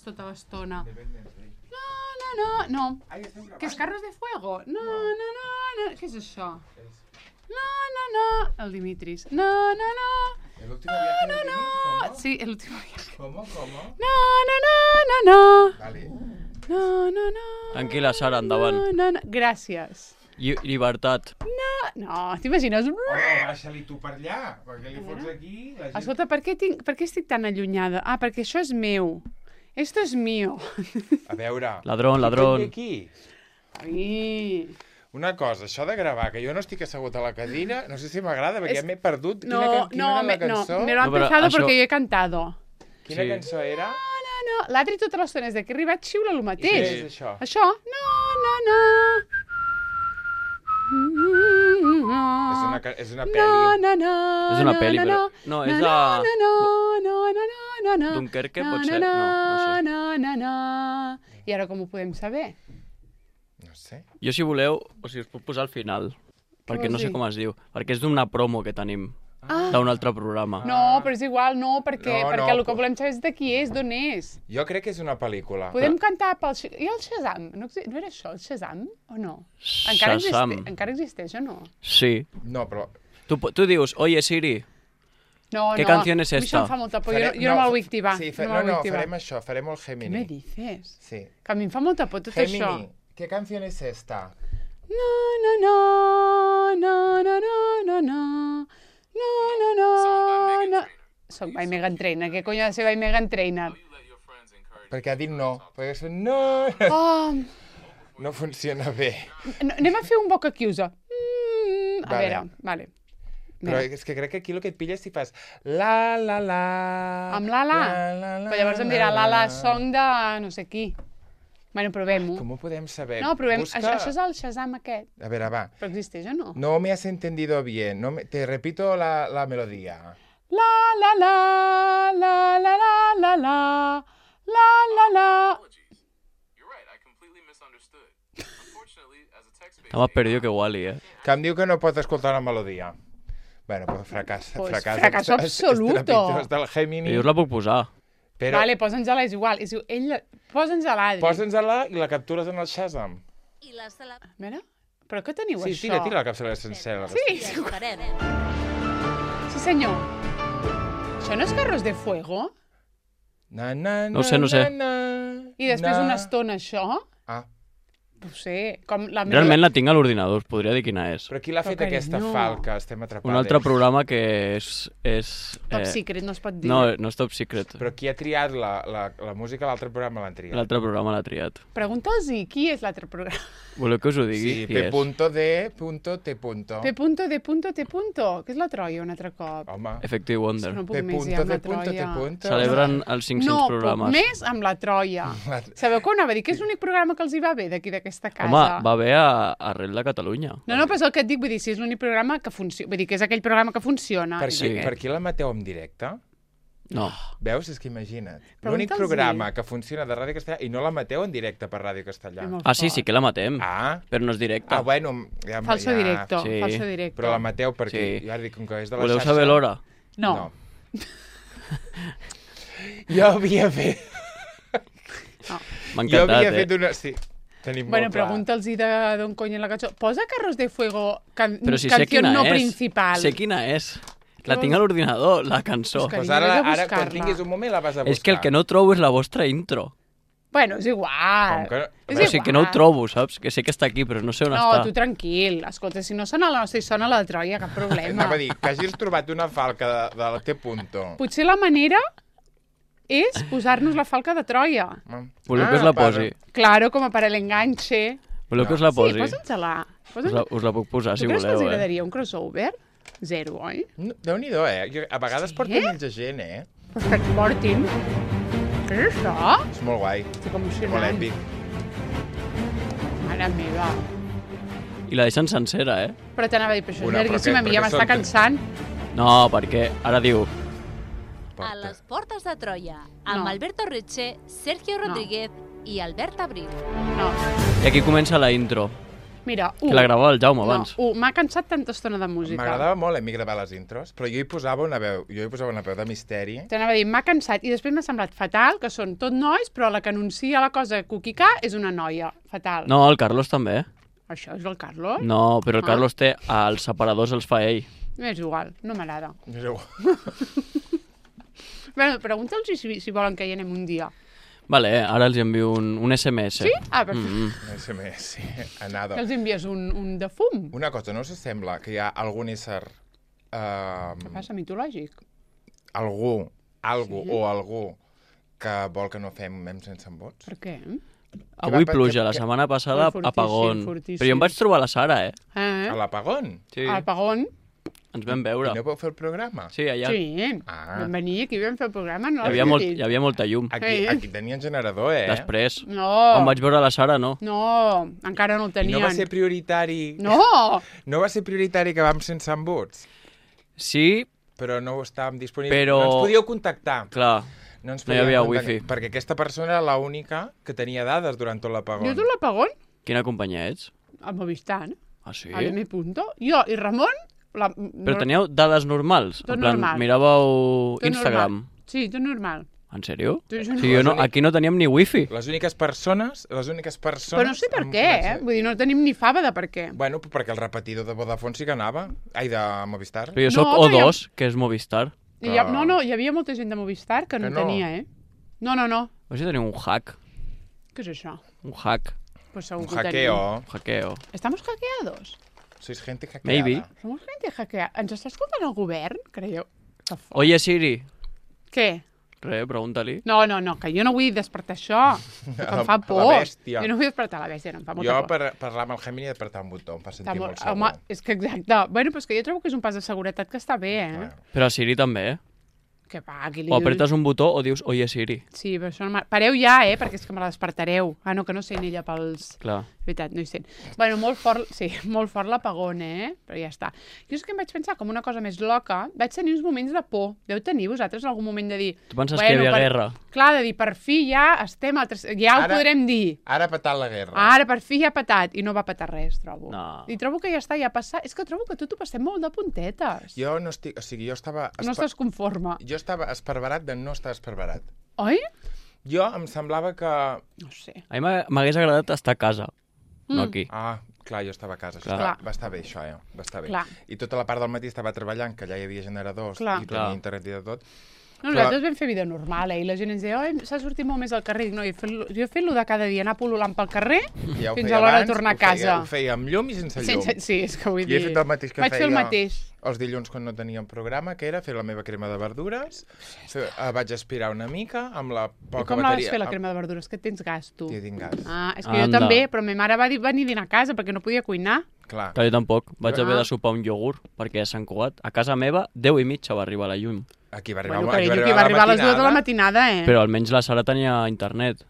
Tota l'estona. No. ¿Qué es Carros de Fuego? No. ¿Qué es això? No. El Dimitris. No. ¿El último viaje de Dimitris? ¿Cómo? Sí, el último viaje. ¿Cómo? No. Vale. No. Tranquil·la, Sara, endavant. No. Gràcies. Llibertat. No, t'imagines? Baixa-li tu per allà, perquè li fots aquí... La gent... Escolta, per què estic tan allunyada? Ah, perquè això és meu. Esto es mío. A veure... Ladrón. Aquí. Ai. Una cosa, això de gravar, que jo no estic assegut a la cadira, no sé si m'agrada, perquè ja m'he perdut. Quina era la cançó? Me lo han empezado porque yo he cantado. Quina cançó era? No. L'altre tota l'estona és de que he arribat xiula el mateix. I què és això? Això? No. És una pel·li. És una pel·li, però... No, és a... No. Dunkerque, potser? No sé. I ara com ho podem saber? No sé. Jo, si voleu, us puc posar al final, perquè no sé com es diu. Perquè és d'una promo que tenim, d'un altre programa. No, però és igual, perquè el que volem saber és de qui és, d'on és. Jo crec que és una pel·lícula. Podem cantar pel... I el Shazam? No era això, el Shazam? O no? Shazam. Encara existeix o no? Sí. No, però... Tu dius, oye Siri, No. ¿qué canción es A mi això esta? em fa molta por, jo no me la vull activar. Sí, farem això, farem el Gemini. ¿Qué me dices? Sí. Que a mi em fa molta por tot això. Gemini, ¿qué canción es esta? No. Soc by Meghan Trainor. Què cony ha de ser by Meghan Trainor? Perquè ha dit no. Perquè és no. No funciona bé. Anem a fer un boca chiusa. A veure, vale. Però és que crec que aquí el que et pilles si fas la. Amb la. Però llavors em dirà la song de no sé qui. Bueno, provem-ho. Com ho podem saber? No, provem. Busca... Això és el Shazam aquest. A veure, va. Però existeix o no? No me has entendido bien. Te repito la melodía. La. Estava perdido que Wall-E, Que em diu que no pot escoltar la melodia. Bueno, pues fracasso absoluto. Estrepitós del Gemini. Jo us la puc posar. Però... Vale, posa'ns-la, és igual. Posa'ns-la, l'Adri. Posa'ns-la i la captures en el Shazam. A veure, però què teniu, Sí, això? tira la capçalera sencera. Sí, sí senyor. Això no és Carros de Fuego? No sé. I després una estona això? Ah, No ho sé. Com la Realment la tinc a l'ordinador, us podria dir quina és. però qui l'ha fet Però, aquesta carinyo. falca? Estem atrapades. Un altre programa que és Top secret, no es pot dir. No és top secret. Però qui ha triat la música a l'altre programa l'han triat? L'altre programa l'ha triat. Pregunta'ls-hi qui és l'altre programa. Voleu que us ho digui? Sí, Qui és? P.D.T. P.D.T. Que és la Troia un altre cop. Home, Effective Wonder. No puc més ja amb la Troia. Celebren els 500 No, programes. puc més amb la Troia. Sabeu que anava a dir? Que és l'únic programa que els hi va bé d'aquí d'aquesta casa. Home, va bé arrel de Catalunya. No, però és el que et dic, vull dir, si és l'únic programa que funciona, vull dir, que és aquell programa que funciona. per qui la mateu en directe? No. Veus? És que imagina't. Pregunta'ls-hi. L'únic programa que funciona de Ràdio Castellà i no la mateu en directe per Ràdio Castellà. Sí que la matem, Ah, però no és directe. bueno. Ja, Falso directo, Sí. falso directo. Però la mateu perquè, Sí. ja dic, com que és de la Voleu xarxa... saber l'hora? No. Jo havia fet... M'ha Jo havia encantat, fet una... Sí, tenim Bueno, molt clar. pregunta'ls-hi d'on cony és la cançó. Posa Carros de Fuego, Però si sé canció quina no és. principal. Sé quina és. La tinc a l'ordinador, la cançó. Pues Pues carinyo, ara, vés a ara, quan buscar-la. tinguis un moment, la vas a buscar. És que el que no trobo és la vostra intro. Bueno, és igual. Com que... És O sigui, que no ho trobo, saps? Que sé que està aquí, però no sé on No, està. tu tranquil. Escolta, si no sona la nostra i sona la de Troia, cap problema. Anava a dir, que hagis trobat una falca de la T. Potser la manera és posar-nos la falca de Troia. Voleu que us la posi? Claro, com a per l'enganxe. Voleu que us la Sí, posi? posa'ns-la. Us la puc posar, si Tu creus que voleu, els agradaria un crossover? Zero, oi? Déu-n'hi-do, A vegades Sí? porten menys gent, Pues que et portin. Què és això? És molt guai, Estic molt emocionant. èpic. Mare meva. I la deixen sencera, Però t'anava a dir, però això és Una, però llarguíssim, què? a mi ja Perquè m'està són- cansant. No, perquè ara diu... A les portes de Troia, amb No. Alberto Reche, Sergio Rodríguez i Albert Abril. No. I aquí comença la intro. Mira, Que la gravava el Jaume abans. M'ha cansat tanta estona de música. M'agradava molt a mi gravar les intros, però jo hi posava una veu de misteri. T'anava a dir, m'ha cansat, i després m'ha semblat fatal, que són tot nois, però la que anuncia la cosa cuquicà és una noia. Fatal. No, el Carlos també. Això és el Carlos? No, però el Carlos té els separadors, els fa ell. És igual, no m'agrada. És igual. Bueno, pregunta'ls si volen que hi anem un dia. Vale, ara els envio un SMS. Sí? Ah, perfecte. SMS, sí. Anada. Que els envies un de fum. Una cosa, no us sembla que hi ha algun ésser... Què passa, mitològic? Algú que vol que no fem mems sense vots? Per què? Avui pluja, la setmana passada apagón. Però jo em vaig trobar la Sara, A l'apagón? Sí. A l'apagón? Ens vam veure. I no vau fer el programa? Sí, allà. Sí, vam venir aquí, vam fer el programa. No Hi havia molta llum. Aquí tenien generador, Després. No. Quan vaig veure la Sara, no. No, encara no el tenien. I no va ser prioritari... No! No va ser prioritari que vam sense embuts? Sí, però no estàvem disponibles. Però... No ens podíeu contactar. Clar, no hi havia wifi. Perquè aquesta persona era l'única que tenia dades durant tot l'apagón. Jo tot l'apagón? Quina companyia ets? El Movistar. Ah, sí? A M. Jo i Ramon... Però teníeu dades normals? Tot en plan, normal. miràveu Tot Instagram? Normal. Sí, tot normal. En sèrio? Sí, aquí no teníem ni wifi. Les úniques persones... Però no sé per què, Vull dir, no tenim ni fava de per què. Bueno, perquè el repetidor de Vodafone sí que anava. Ai, de Movistar. Però jo soc O2, que és Movistar. No, hi havia molta gent de Movistar que no tenia, No. O sigui, teniu un hack. Què és això? Un hack. Pues segur un que hackeo. Un hackeo. ¿Estamos hackeados? Sois gente hackeada. Maybe. Somos gente hackeada. Ens està escoltant el govern, creieu? Oye, Siri. Què? Res, pregunta-li. No, que jo no vull despertar això. Que em fa por. La bèstia. Jo no vull despertar la bèstia, no em fa molta por. Jo, per parlar amb el Gemini, he despertat un botó, em fa sentir molt segur. Home, és que exacte. Bueno, però és que jo trobo que és un pas de seguretat que està bé, Però a Siri també, Que va, aquí li O apretes un botó o dius, oye, Siri. Sí, però això no pareu ja, perquè és que me la despertareu. Ah, no, que no sent ella pels... Clar. Veritat, no hi sent. Bueno, molt fort l'apagón, però ja està. Jo és que em vaig pensar com una cosa més loca. Vaig tenir uns moments de por. Deu tenir vosaltres algun moment de dir... Tu penses que hi havia guerra? Clar, de dir, per fi ja estem... Ja ho podrem dir. Ara ha patat la guerra. Ara, per fi ja ha patat. I no va patar res, trobo. No. I trobo que ja està, ja ha passat. És que trobo que tot ho passem molt de puntetes. Jo no estic... O sigui, jo estava... No estàs conforme. Jo estava esparverat de no estar esparverat. Oi? Jo em semblava que... No sé. A mi m'hagués agradat estar a casa, no aquí. Ah, clar, jo estava a casa. Clar. Va estar bé, això, Va estar bé. Clar. I tota la part del matí estava treballant, que allà hi havia generadors i tenia internet i de tot. No, nosaltres vam fer vida normal, I la gent ens deia, s'ha sortit molt més al carrer. No, jo he fet-lo de cada dia, anar pol·lulant pel carrer fins a l'hora de tornar a casa. Ho feia amb llum i sense llum. Sí, és que vull dir... I he fet el mateix que Vaig fer el mateix. Els dilluns quan no teníem programa, que era fer la meva crema de verdures, vaig aspirar una mica amb la poca bateria. I com la vas fer, la crema de verdures? Que tens gas, tu? Sí, tinc gas. Ah, és que jo també, però ma mare va venir a dinar a casa perquè no podia cuinar. Clar. Jo tampoc. Vaig haver de sopar un iogurt perquè a Sant Cugat, a casa meva, 10:30 va arribar la llum. Aquí va arribar, va arribar a les 2 de la matinada, Però almenys la Sara tenia internet.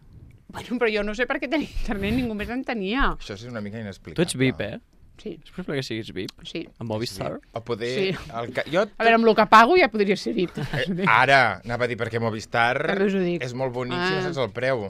Bueno, però jo no sé per què tenia internet, ningú més en tenia. Això és una mica inexplicable. Tu ets VIP, Sí. És possible que siguis VIP? Sí. Amb Movistar? O poder... Sí. A veure, amb el que pago ja podria ser VIP. Ara, anava a dir, perquè Movistar També us ho dic. és molt bonic si no saps el preu.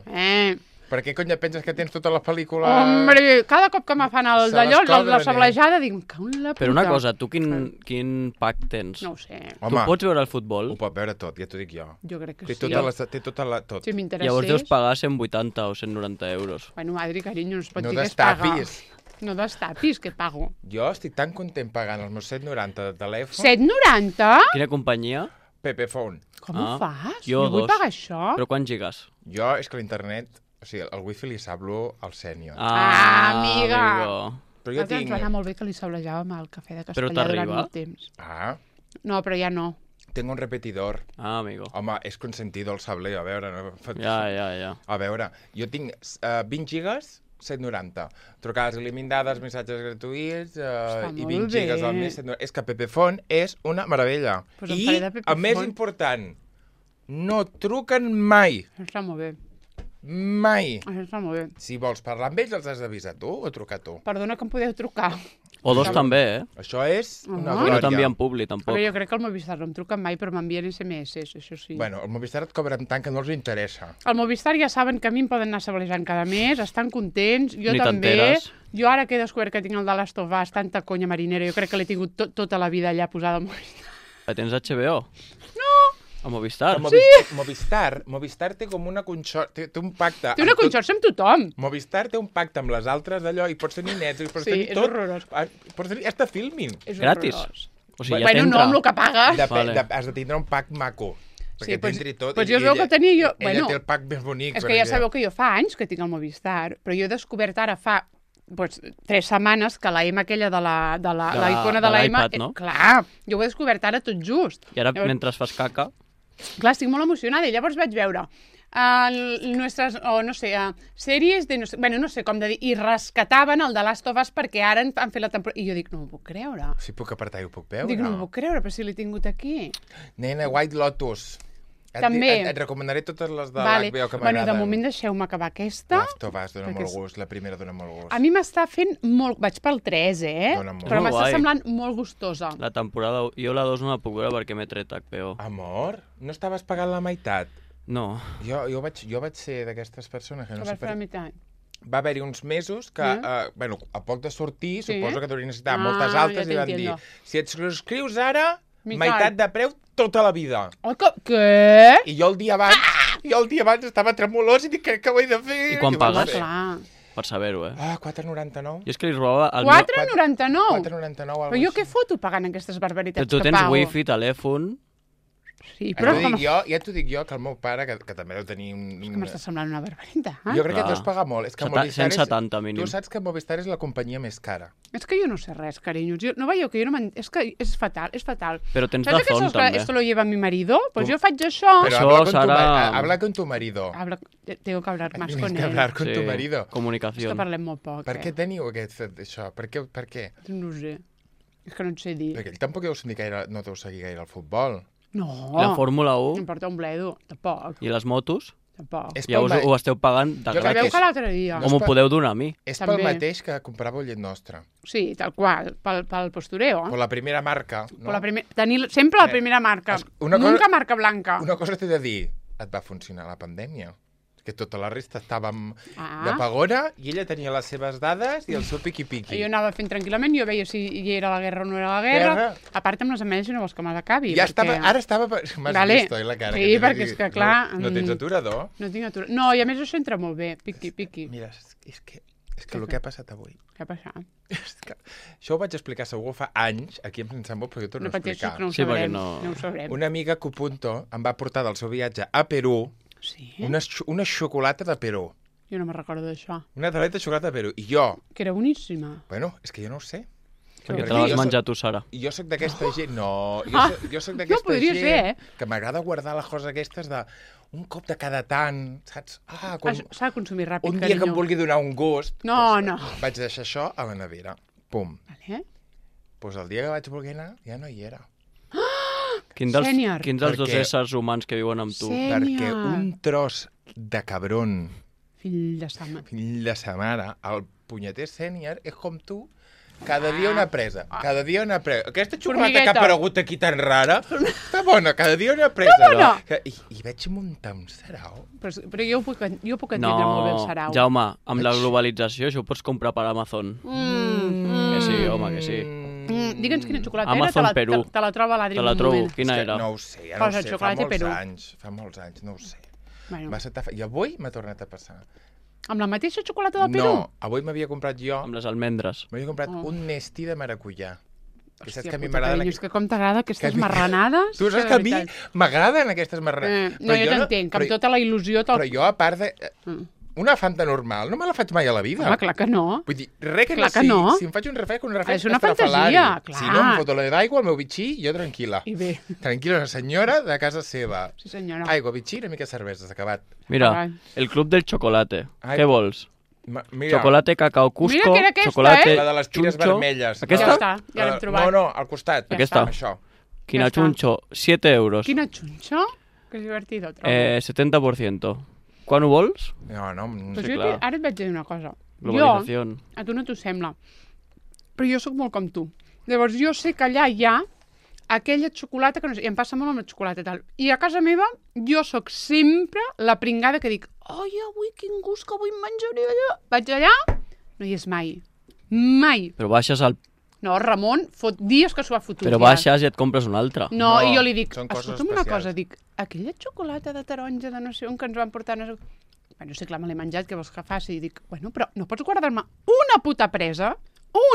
Per què cony penses que tens tota la pel·lícula... Hombre, cada cop que me fan el d'allò, la sablejada, dic, me cago en la puta. Però una cosa, tu quin pack tens? No ho sé. Tu pots veure el futbol? Ho pot veure tot, ja t'ho dic jo. Jo crec que té sí. Té tota la... Tot. Si m'interessés... Llavors deus pagar 180 o 190 euros. Bueno, Adri, carinyo, no es pot No dir que es paga. destapis. No destapis, que pago. Jo estic tan content pagant els meus 7,90 de telèfon. 7,90? Quina companyia? Pepephone. Com ho fas? Jo vull pagar això. Però quants gigas? Jo, és que l'internet... O sigui, el wifi li sablo al sènior. Amiga! Però jo tinc... Ens va anar molt bé que li sablejàvem al cafè de Però Castellà durant t'arriba? molt temps. Ah, No, però ja no. tengo un repetidor. Ah, amigo. Home, és consentido el sableo, a veure... No? Ja. A veure, jo tinc 20 gigas, 7,90. Trucades il·limitades, missatges gratuïts i 20 gigas al mes. 7,90. És que Pepephone és una meravella. Pues em I, faré de Pepephone. el més important, no truquen mai. Això està molt bé. Mai. Això està molt bé. Si vols parlar amb ells, els has d'avisar tu o trucar tu. Perdona que em podeu trucar. O 2 també, Això és una Ah. No glòria. t'envien publi, tampoc. Però jo crec que el Movistar no em truquen mai, però m'envien SMS, això sí. Bueno, el Movistar et cobra tant que no els interessa. El Movistar ja saben que a mi em poden anar sabolejant cada mes, estan contents, jo Ni també. t'enteres. Jo ara que he descobert que tinc el de Last of Us, tanta conya marinera, jo crec que l'he tingut tota la vida allà posada al Movistar. Tens HBO? A Movistar? Movistar té com una té un pacte. Té una conxorxa amb tothom. Movistar té un pacte amb les altres d'allò i pots tenir Netflix, pots Sí, tenir és tot. horrorós. Pots tenir hasta Filmin. És Gratis? horrorós. O sigui, ja Bueno, no, t'entra. amb el que pagues. Vale. Has de tindre un pack maco. Perquè pues- t'entri tot. pues i jo es veu ella- que tenia jo- Ella bueno, té el pack més bonic. És que ja sabeu que jo fa anys que tinc el Movistar, però jo he descobert ara fa 3 setmanes que la M aquella de la icona de la M... l'iPad, no? Clar, jo ho he descobert ara tot just. I ara, Llavors, mentre fas caca, Clar, estic molt emocionada i llavors vaig veure sèries de, no sé com de dir, i rescataven el de Last of Us perquè ara han fet la temporada. I jo dic, no m'ho puc creure. Si puc apartar i ho puc veure. Dic, no m'ho puc creure, però si l'he tingut aquí. Nena, White Lotus. També. Et recomanaré totes les de Vale. l'HBO que Bueno, m'agraden. de moment deixeu-me acabar aquesta. Last of Us dona perquè molt és- gust, la primera dona molt gust. A mi m'està fent molt... Vaig pel 3, Dona molt. Però Molt m'està guai. semblant molt gustosa. la temporada... Jo la 2 no la puc veure perquè m'he tret HBO. Amor, no estaves pagant la meitat? No. Jo vaig ser d'aquestes persones que Que no vas sé fer la per... meitat. Va haver-hi uns mesos que, bueno, a poc de sortir, Sí. suposo que t'haurien necessitat Ah, moltes ja altes i van dir, t'entiendo. si et subscrius ara, Meitat. meitat de preu tota la vida. Oh, què? I jo el dia abans, estava tremolós i dic, què ho he de fer? I quan ho vaig pagues? fer. Clar. Per saber-ho, Ah, 4,99. Jo és que li robava... El 4,99? 4,99. Però jo què foto pagant aquestes barbaritats Tu que tens pago? wifi, telèfon... Sí, però Ja t'ho dic jo, que el meu pare, que també deu tenir que m'està semblant una barbaritat. Jo crec que Clar. deus pagar molt. És que Movistar 170 mínim. Tu saps que Movistar és la companyia més cara. És que jo no sé res, carinyos. No veieu que jo no és que és fatal, és fatal. Però tens ¿Sabes Dazón, que també. esto lo lleva mi marido? Pues yo faig això. Pero Això serà- habla con tu marido. Tengo que hablar más Tienes con que él. hablar con tu Sí, marido. És que Comunicació. parlem molt poc, Per què teniu això? Per què? No ho sé. És que no et sé dir. Perquè ell tampoc no deu seguir gaire el futbol. No. La Fórmula 1 M'importa un bledo. Tampoc. i les motos, Tampoc. És ja pel ho esteu pagant de Jo crec Sabeu gratis. que l'altre dia... O m'ho podeu donar a mi. És També. pel mateix que compràveu llet nostra. Sí, tal qual, pel postureo. Per la primera marca. No? Tenir sempre la primera marca. Una cosa- Nunca marca blanca. Una cosa t'he de dir. Et va funcionar la pandèmia. Que tota la resta estàvem Ah. de pagona i ella tenia les seves dades i el seu piqui-piqui. Jo anava fent tranquil·lament, jo veia si hi era la guerra o no era la guerra. A part amb les ametlles, si no vols que me l'acabi. Ja perquè... estava, ara estava... M'has Vale. vist, oi, la cara? Sí, que t'he perquè de és dir? que, clar, No tens aturador? No tinc atura. No, i a més això entra molt bé. Piqui. Mira, és que el que ha passat avui... Què ha passat? És que això ho vaig explicar segur fa anys, aquí em sent molt, però jo torno No a pateixis, explicar. que no ho Sí, perquè sabrem. no- No ho sabrem. Una amiga Cupunto em va portar del seu viatge a Perú Sí? una xocolata de Perú. Jo no me'n recordo d'això. Una tableta de xocolata de Perú. I jo, Que era boníssima. bueno, és que jo no ho sé. Perquè Perquè te l'has jo menjat tu, Sara. Jo sóc d'aquesta gent... No, jo soc jo d'aquesta podria gent ser, que m'agrada guardar les coses aquestes de un cop de cada tant, saps? Quan, S'ha de consumir ràpid, un dia que carinyo. em vulgui donar un gust... No, doncs, no. Vaig deixar això a la nevera. Pum. Vale. Doncs el dia que vaig voler anar ja no hi era. Quins Sènior. dels dos Perquè- éssers humans que viuen amb tu? Sí. Perquè Sènior. un tros de cabron, Fill de sa mare. fill de sa mare, el punyeter sènior, és com tu, cada dia una presa, cada dia una presa. Aquesta xocolata que ha Formigueta. aparegut aquí tan rara, està bona, cada dia una presa. Que bona! I vaig muntar un sarau. Però jo puc entendre No, molt bé el sarau. Jaume, amb la globalització això ho pots comprar per Amazon. Que sí, home, que sí. Digue'ns quina xocolata Amazon era, Perú. te la troba l'Adri Te en la un trobo. moment. Quina És que era? No ho sé, ja no Posa ho sé, fa xocolata molts Perú. anys, no ho sé. Bueno, Va ser I avui m'ha tornat a passar. amb la mateixa xocolata del Perú? No, avui m'havia comprat jo, Amb les almendres. m'havia comprat Oh. un Nestí de maracuyà. Que saps Hòstia que a mi puta, m'agraden... carinyo, és que com t'agrada aquestes que a mi- marranades? Tu saps que a mi m'agraden aquestes marranades. No, jo t'entenc, que amb tota la il·lusió... Però jo, a part de... Mm. Una Fanta normal, no me la faig mai a la vida. Home, clar que no. Vull dir, res que Clar no que sigui. no. Si em faig un refresc, un refresc És una estrafalari. fantasia, clar. Si no, em foto d'aigua, el meu bitxí, jo tranquil·la. I bé, Tranquil·la, una senyora de casa seva. sí senyora. Aigua, bitxí, una mica de cervesa, s'ha acabat. Mira, Ai. el club del chocolate. Ai. Què vols? Mira, Chocolate, cacao, Cusco, Mira que era aquesta, chocolate, la de les tires chuncho. vermelles. Aquesta? Ja està, ja l'hem trobat. No, al costat. Ja Aquesta? Això. Quina Ja està. chuncho, 7 euros. Quina xunxo? Que divertido, trobo. 70%. Quan ho vols? No. Però sí, jo clar. ara et vaig dir una cosa. Globalització. Jo, a tu no t'ho sembla, però jo sóc molt com tu. Llavors jo sé que allà hi ha aquella xocolata que no sé, i em passa molt amb la xocolata i tal. I a casa meva jo sóc sempre la pringada que dic ai, avui quin gust que avui em menjaré allà. Vaig allà, no hi és mai. Mai. Però baixes al... No, Ramon fot dies que s'ho ha fotut. Però baixes i et compres una altra. No, i jo li dic, són coses escolta'm una especials. cosa, dic, aquella xocolata de taronja de no sé on que ens van portar... No sé... Bueno, sí, clar, me l'he menjat, què vols que faci? I dic, bueno, però no pots guardar-me una puta presa?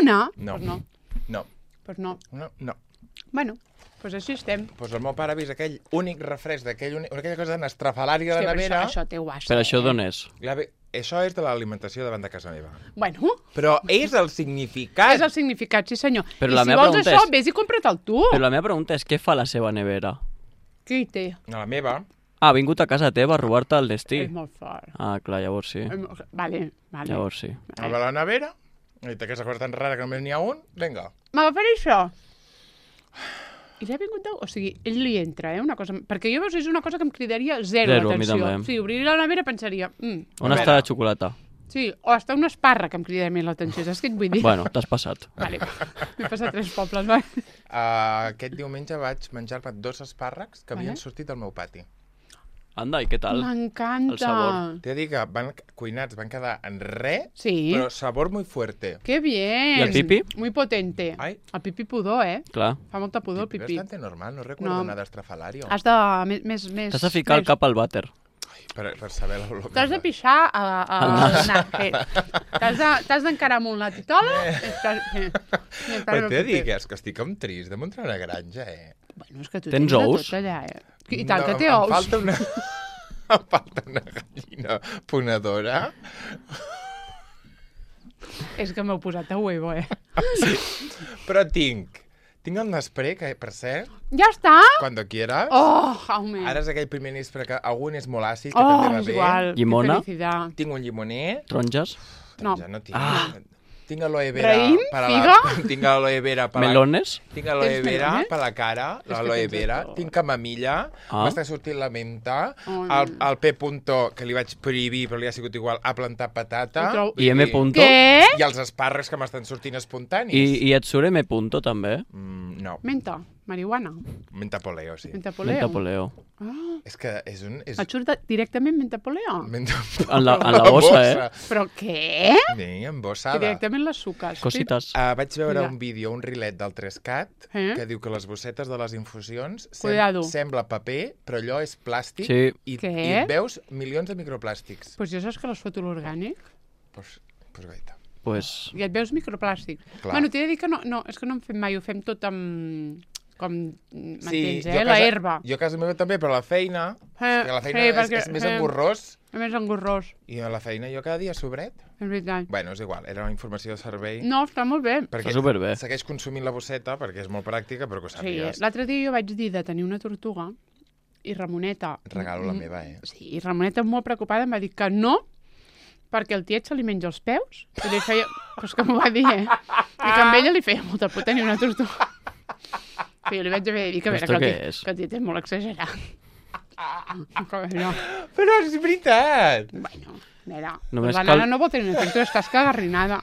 Una? No. Pues no. No. Pues no. No. Bueno, pues així estem. Pues el meu pare ha vist aquell únic refresc aquella cosa tan estrafalària de la Hòstia, nevera. això té guassa. Però això d'on és? Això és de l'alimentació davant de casa meva. Bueno, Però és el significat. és el significat, sí senyor. Però I la si meva vols pregunta això, és- vés i compra't-el tu. Però la meva pregunta és què fa la seva nevera? Què hi té? A la meva, Ah, ha vingut a casa teva a robar-te el destí. És molt fort. Ah, clar, llavors sí. Vale. Llavors sí. a la nevera, i aquesta cosa tan rara que només n'hi ha un, vinga. M'agafaré això. I li ha vingut de... O sigui, ell li entra, una cosa... Perquè jo veus, és una cosa que em cridaria zero Zero, a mi l'atenció. també. Sí, obrir la nevera pensaria... On està la xocolata? Sí, o està un espàrrec que em cridaria més l'atenció, saps què et vull dir? Bueno, t'has passat. Vale, m'he passat 3 pobles, va. Aquest diumenge vaig menjar-me 2 espàrrecs que havien sortit del meu pati. Anda, i què tal? El M'encanta. sabor. T'he de dir que cuinats van quedar en res, Sí. però sabor muy fuerte. Qué bien. ¿Y el pipi? Muy potente. Ay. El pipi pudor, Clar. Fa molta pudor el pipí. Bastante normal, no recuerdo No. nada estrafalario. Has de... Més... T'has de ficar el cap al vàter. Per saber l'olor. T'has de pixar al nas. T'has d'encarar amb una titola. Però t'he de dir que estic com trist de muntar una granja, Bueno, és que tu Tens de ous? tot allà, I tant que té Em ous. falta una... em falta una gallina ponedora. És que m'heu posat a huevo, Però tinc el Nespré, que per cert, Ja està? cuando quieras. Oh, jaume. Ara és aquell primer Nespré que algun és molt àcid, que Oh, també va és bé. igual. Llimona? Que felicitat. Tinc un llimoner. Taronges? No. Ja no tinc. Ah. Tinc aloe vera Raïm? per a Figa? Tinc aloe vera per a Melones? Tinc aloe Tens vera melones? per la cara, que l'aloe tens de vera, tot. tinc camamilla, Ah. m'està sortint la menta, Oh, el P. Puntó, que li vaig prohibir, però li ha sigut igual, ha plantat patata. Ho trobo- I M. Punto? Què? I els espàrrecs que m'estan sortint espontanis. I et surt M. Punto, també? No, Menta, marihuana, mentapoleo, sí. mentapoleo. Mentapoleo. Ah, És que és un... És... et surt directament mentapoleo? En la bossa, eh? Però què? Sí, Que embossada. directament les suques. Cosites. Vaig veure Mira. un vídeo, un rilet del 3CAT, que diu que les bossetes de les infusions Cuidado. sembla paper, però allò és plàstic Sí. i Què? et veus milions de microplàstics. Doncs jo saps que les foto l'orgànic Pues gaita. Pues... i et veus microplàstic. Clar. Bueno, t'he de dir que no, és que no en fem mai, ho fem tot amb... Com, m'entens, jo a La casa- herba. Jo a casa meva també, però a la feina, que la feina és més engorrós, A més engorrós, i a la feina jo cada dia sobret. és veritat. Bueno, és igual, era una informació de servei. No, està molt bé. Perquè Està superbé. segueix consumint la bosseta, perquè és molt pràctica, però que ho Sí, sàpigues. l'altre dia jo vaig dir de tenir una tortuga i Ramoneta... Regalo la meva, Sí, i Ramoneta molt preocupada em va dir que no, perquè el tiet se li menja els peus. I li feia... Però és que m'ho va dir, I que amb ella li feia molta por tenir una tortuga. Que jo li vaig haver de dir que, a veure, Esto que, què és? que el tiet és molt exagerat. No. Però és veritat! Bueno, mira, Només la cal- nana no pot tenir una tortuga, estàs cagarrinada.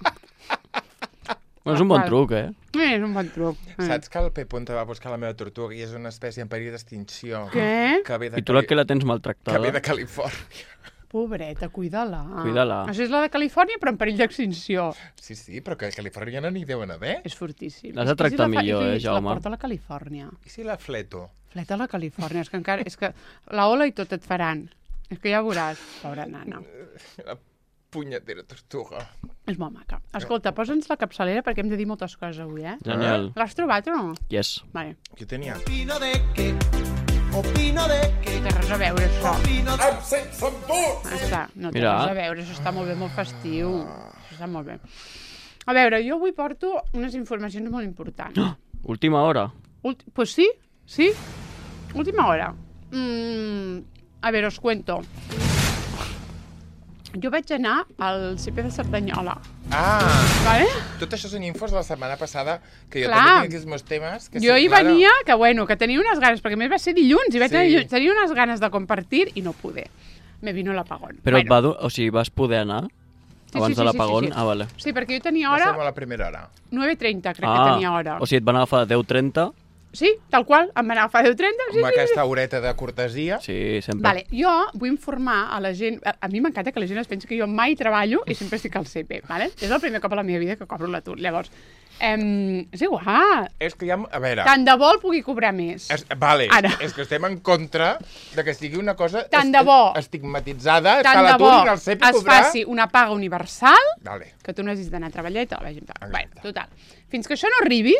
Bueno, és un bon Val. truc, eh? És un bon truc. Saps que el P. Punta va buscar la meva tortuga i és una espècie en perill d'extinció? Què? Que ve de, I tu la que la tens que maltractada. ve de Califòrnia. Pobreta, cuida-la. Cuida-la. Això és la de Califòrnia, però en perill d'extinció. Sí, però que a Califòrnia no n'hi deuen haver. És fortíssim. L'has de És que tractar la millor, i si Jaume. La porta a la Califòrnia. I si la fleto? Fleta a la Califòrnia, és que encara... És que la ola i tot et faran. És que ja veuràs, pobra nana. La punyetera tortuga. És molt maca. Escolta, posa'ns la capçalera perquè hem de dir moltes coses avui, Genial. L'has trobat o no? Yes. Vale. Qui tenia? Opino de que, Té res a veure, això. opino de Està, no té Mira. res a veure, això està molt bé, molt festiu. Això està molt bé. A veure, jo avui porto unes informacions molt importants. Última hora. Pues sí, sí. Última hora. A veure, us cuento. Jo vaig anar al CP de Cerdanyola, ¿vale? Tot això són infos de la setmana passada, que jo Clar. també tinc aquí els meus temes. Que Jo sí, hi claro. venia, que bueno, que tenia unes ganes, perquè a més va ser dilluns, i vaig Sí. anar dilluns, tenia unes ganes de compartir i no pude. Me vino l'apagón. Però bueno, o sigui, vas poder anar? Abans de l'apagón? Ah, vale. Sí, perquè jo tenia Va hora... ser a la primera hora. 9:30, crec que tenia hora. O sigui, et van agafar de 10:30. Sí, tal qual, em van agafar 10:30. Amb aquesta horeta de cortesia. Sí, sempre. Vale, jo vull informar a la gent... A mi m'encanta que la gent es pensi que jo mai treballo i sempre estic al CP, vale? És el primer cop a la meva vida que cobro l'atur. Llavors, és igual. És que ja... A veure... Tant de bo el pugui cobrar més. Vale, Ara. és que estem en contra de que sigui una cosa Tant de bo. estigmatitzada, que Tant de l'atur bo i el CEP es cobrar... faci una paga universal, Vale. que tu no hagis d'anar a treballar i te la vegin. Exacte. Bé, total. Fins que això no arribi,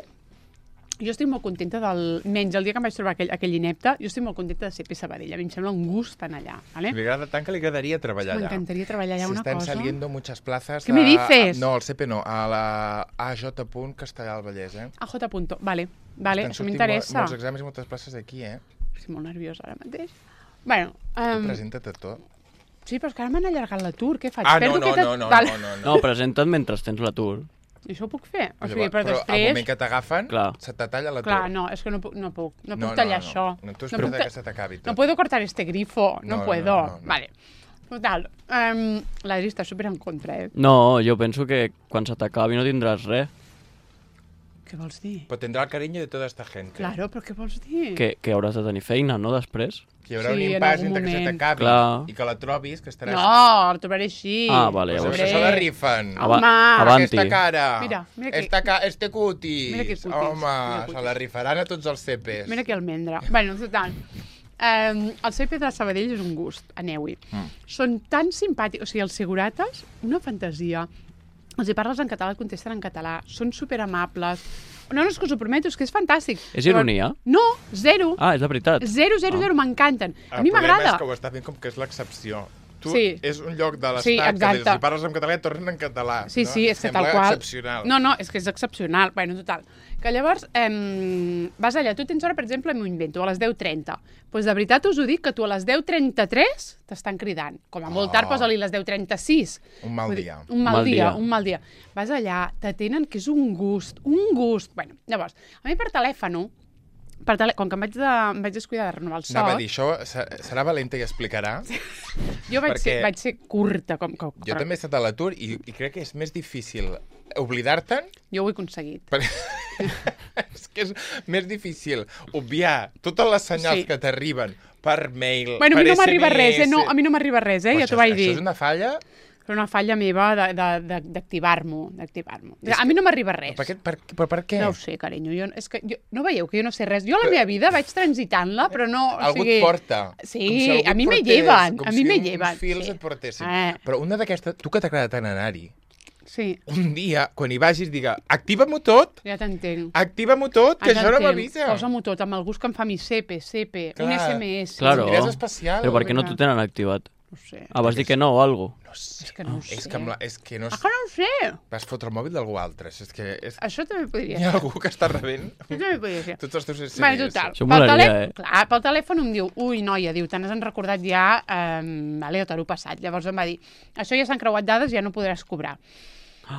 jo estic molt contenta menys el dia que em vaig trobar aquell inepte, jo estic molt contenta de CP Sabadell. A mi em sembla un gust anar allà. ¿Vale? Me agrada tant que li agradaria treballar allà. M'encantaria treballar allà una cosa. Se están saliendo muchas plazas. ¿Qué me dices? No, al CP no, a la AJ. Castellà del Vallès, AJ. Vale, vale, Estan això sortint m'interessa. molts exàmens i moltes places aquí, Estic molt nerviosa ara mateix. Bueno, Presenta't a tot. sí, però és que ara m'han allargat l'atur, què faig? Ah, Perdo no, aquest- no, no, Vale. no, no, no. No, presenta't mentre tens l'atur. I això ho puc fer? O sigui, Llavors, però al després... moment que t'agafen, Clar. se te talla l'atur. Clar, no, és que no puc tallar això. No, tu No espera't puc que se t'acabi tot. No puedo cortar este grifo, no No, puedo. no. Vale. Total, l'Adri està super en contra, No, jo penso que quan se t'acabi no tindràs res. Què vols dir? Però tindrà el carinyo de tota esta gent. Claro, però què vols dir? Que hauràs de tenir feina, no, després? Hi haurà Sí, un en impàs algun entre que se moment. t'acabi Clar. i que la trobis, que estaràs... No, el trobaré així. Ah, vale, Pues llavors. això se la rifen. Home, Avanti. Aquesta cara. Mira que- Este cutis. Mira que cutis. Home, Mira se la rifaran a tots els CPs. Mira que almendra. Bueno, total. El CP de Sabadell és un gust, aneu-hi. Són tan simpàtics, o sigui, els segurates, una fantasia. Els hi parles en català, et contesten en català, són superamables. No, és que us ho prometo, és que és fantàstic. És ironia? No, zero. Ah, és de veritat. Zero, m'encanten. A mi El problema m'agrada. és que ho està fent com que és l'excepció. Tu Sí. és un lloc de Sí, l'estat que exacte. si parles en català et tornen en català. Sí, no? sí, és que Sembla tal qual... excepcional. No, és que és excepcional. Bueno, total. Que llavors vas allà, tu tens hora, per exemple, m'ho invento, a les 10:30. Doncs de veritat us ho dic, que tu a les 10:33 t'estan cridant. Com a molt tard, posa-li les 10:36. Un mal Vull dir, dia. Un mal dia. Vas allà, t'atenen, que és un gust. Bueno, llavors, a mi per telèfon, com que em vaig descuidar de renovar el soc... Anava a dir, això serà valenta i explicarà. Jo vaig perquè ser curta. Jo també he estat a l'atur i crec que és més difícil oblidar-te'n. Jo ho he aconseguit. És que és més difícil obviar totes les senyals Sí. que t'arriben per mail, Bueno, a per mi no SMS. m'arriba res, No, a mi no m'arriba res, Però ja t'ho vaig dir. Això és una falla? És una falla meva d'activar-m'ho. A mi no m'arriba res. Però per què? No ho sé, carinyo. No veieu que jo no sé res? Jo la meva vida vaig transitant-la, però no... Algú et porta. Sí, Com si algú a mi et me portés, lleven. com A mi si me uns lleven. fils sí. et portessin. Però una d'aquestes, tu que t'agrada tant anar-hi, Sí, un dia, quan hi vagis, diga, activa-m'ho tot, ja t'entenc. activa-m'ho tot, que Ja això no t'entenc. m'avisa. Posa-m'ho tot, amb el gust que em fa mi CP, un Clar. SMS. Claro. És especial. Però per què no t'ho tenen activat? No ho sé. Ah, vas dir que no o algo? No sé. És que no ho sé. És que no Ah, que no ho sé. vas fotre el mòbil d'algú altre. És que Això també podria hi ha ser. algú que està rebent Això també podria ser. tots els teus SMS. Bueno, total. Això molaria, Clar, pel telèfon em diu, ui, noia, diu, te n'has recordat ja, vale, t'ho passat. Llavors em va dir, això ja s'han creuat dades, ja no podràs cobrar.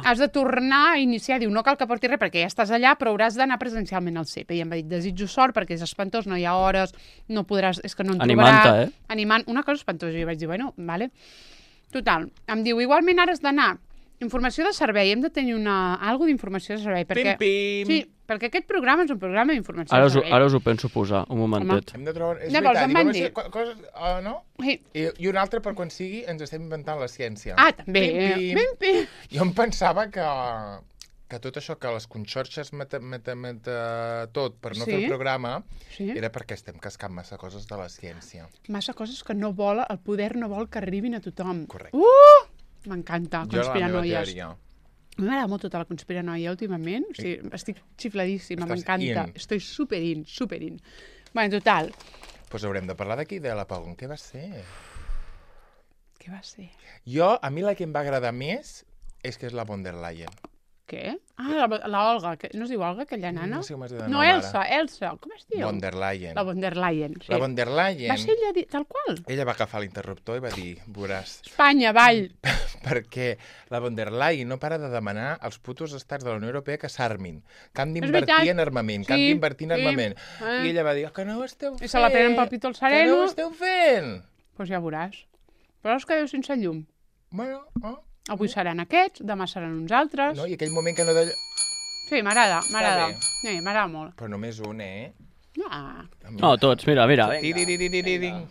Has de tornar a iniciar, diu, no cal que portis res perquè ja estàs allà, però hauràs d'anar presencialment al CP. I em va dir, desitjo sort perquè és espantós, no hi ha hores, no podràs, és que no en Animant-te, trobaràs. Animant, una cosa espantosa. I vaig dir, bueno, vale. Total, em diu, igualment ara has d'anar informació de servei, hem de tenir algo d'informació de servei, perquè... Pim, pim. Sí, perquè aquest programa és un programa d'informació Ara de us, servei. ara us ho penso posar, un momentet. Hem de trobar... És Llavors, veritat, em van i dir- coses, no? Sí. I un altre, per quan sigui, ens estem inventant la ciència. Ah, també. Pim, pim. Pim. Jo em pensava que tot això, que les conxorxes tot per no Sí. fer el programa, Sí. era perquè estem cascant massa coses de la ciència. Massa coses que no vol, el poder no vol que arribin a tothom. Correcte. M'encanta, Jo la meva conspiranoies. teoria. A mi m'agrada molt tota la conspiranoia últimament. O sigui, estic xifladíssima, Estàs m'encanta. in. Estoy superin. Bueno, total. Doncs haurem de parlar d'aquí, de l'apagón. Què va ser? Què va ser? A mi la que em va agradar més és que és la von der Leyen. Què? Ah, la Olga. No es diu Olga, aquella nana? No sé com es diu de No, nom Elsa. Com es diu? Von der Leyen. La von der Leyen, sí. La von der Leyen, Va ser ella tal qual? ella va agafar l'interruptor i va dir, veuràs, Espanya, avall. perquè la von der Leyen no para de demanar als putos estats de la Unió Europea que s'armin, que han veritat. d'invertir en armament, que han Sí, d'invertir en sí. armament. I ella va dir, que no ho esteu fent. I se la prenen pel pit al Que sereno. no ho esteu fent. Doncs ja veuràs. Però us quedeu sense llum. Bueno, Avui seran aquests, demà seran uns altres. No? I aquell moment que no... Sí, m'agrada. bé. Sí, m'agrada molt. Però només un, No, tots, mira. Tiririririring.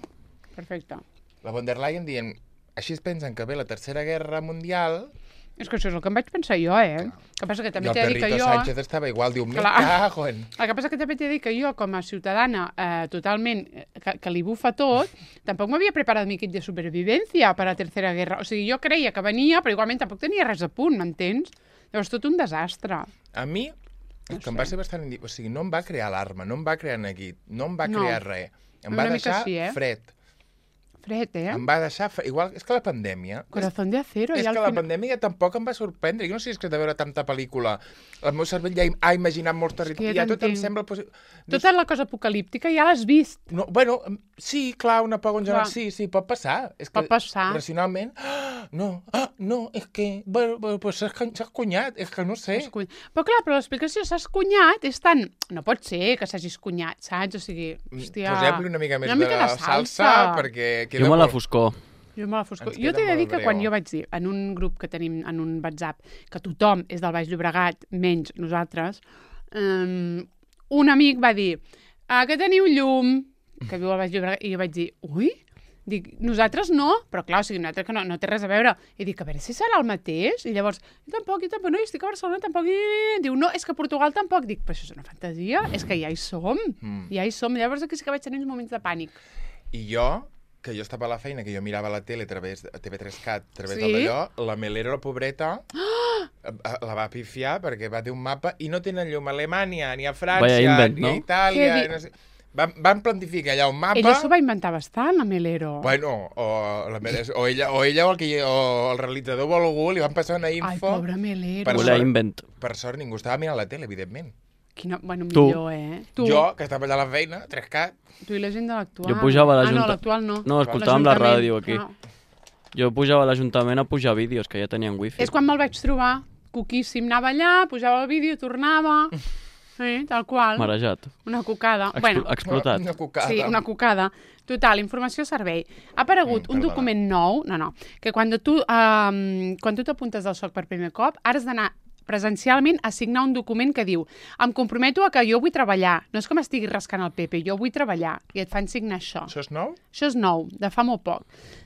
Perfecte. La von der Leyen dient, així es pensen que ve la Tercera Guerra Mundial... És que això és el que em vaig pensar jo, El que passa que també t'he de dir que I el jo... Perrito Sánchez estava igual, diu, me Clar. cago en... El que passa que també t'he de dir que jo, com a ciutadana totalment que li bufa tot, tampoc m'havia preparat mi kit de supervivència per a la Tercera Guerra. O sigui, jo creia que venia, però igualment tampoc tenia res a punt, m'entens? Llavors, tot un desastre. A mi, que em va ser bastant... O sigui, no em va crear alarma, no em va crear neguit, no em va crear res. Em va deixar fred. Fred, Em va deixar... Igual, és que la pandèmia... Corazón de acero. És que la pandèmia tampoc em va sorprendre. Jo no sé si és que de veure tanta pel·lícula el meu cervell ja ha imaginat molts territoris. Ja tot em sembla... Tota la cosa apocalíptica ja l'has vist. No, bueno, sí, clar, una por en general, sí, pot passar. És que pot passar. Racionalment, no, és que... Bueno, pues s'has cunyat, és que no sé. Però clar, però l'explicació s'has cunyat és tan... No pot ser que s'hagis cunyat, saps? O sigui, hòstia... Posem-li una mica més de salsa, perquè... Jo me la foscor. Jo t'he de dir que quan jo vaig dir, en un grup que tenim en un WhatsApp, que tothom és del Baix Llobregat, menys nosaltres, un amic va dir, que teniu llum, que viu al Baix Llobregat, i jo vaig dir, ui? Dic, nosaltres no, però clar, o sigui, nosaltres que no té res a veure. I dic, a veure si serà el mateix. I llavors, jo tampoc, no, jo estic a Barcelona, tampoc. I diu, no, és que a Portugal tampoc. Dic, però això és una fantasia, és que ja hi som. Ja hi som. Llavors aquí sí que vaig tenir uns moments de pànic. I jo, que jo estava a la feina, que jo mirava la tele a través de TV3CAT, a través d'allò, la Melero, la pobreta, la va pifiar perquè va dir un mapa i no tenen llum a Alemanya, ni a França, ni a Itàlia... No sé. Van plantificar allà un mapa... Ella s'ho va inventar bastant, la Melero. Bueno, o ella o el realitzador o algú li van passar una info... Ai, pobra Melero. Per sort, ningú estava mirant la tele, evidentment. Bueno, millor, Tu. Jo, que estava allà a la feina, 3CAT. Tu i la gent de l'actual. Jo pujava a no, l'actual no. No, escoltàvem la ràdio aquí. Jo pujava a l'Ajuntament a pujar vídeos, que ja tenien wifi. És quan me'l vaig trobar, coquíssim, anava allà, pujava el vídeo, tornava... Sí, tal qual. Marejat. Una cucada. Explotat. Una cucada. Sí, una cucada. Total, informació servei. Ha aparegut un document nou, que quan tu t'apuntes al SOC per primer cop, ara has d'anar presencialment a signar un document que diu em comprometo a que jo vull treballar. No és que m'estigui rascant el Pepe, jo vull treballar. I et fan signar això. Això és nou? Això és nou, de fa molt poc.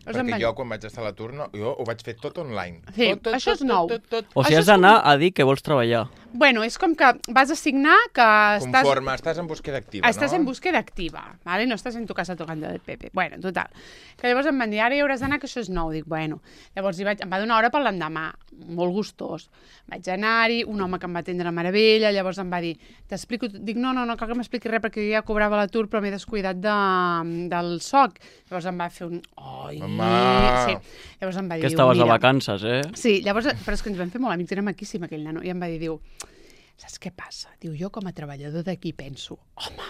Perquè jo, quan vaig estar a l'atur, jo ho vaig fer tot online. Sí, això és nou. O sigui, has d'anar a dir que vols treballar. Bueno, és com que vas a signar que Conforme, estàs en búsqueda activa, no? Estàs en búsqueda activa, ¿vale? No estàs en tu casa tocando del Pepe. Bueno, total. Que llavors em van dir, ara hi hauràs d'anar, que això és nou. Dic, bueno. Llavors em va donar hora per l'endemà, molt gustós. Vaig anar-hi, un home que em va atendre a meravella, llavors em va dir, t'explico... Dic, no cal que m'expliqui res perquè jo ja cobrava l'atur, però m'he descuidat del SOC. Llavors em va fer un... Oi! Sí. Llavors em va dir... Que estaves de vacances, Sí, llavors... Però és que ens vam fer molt amics, era maquíssim aquell nano. I em va dir, saps què passa? Diu, jo com a treballador d'aquí penso, home,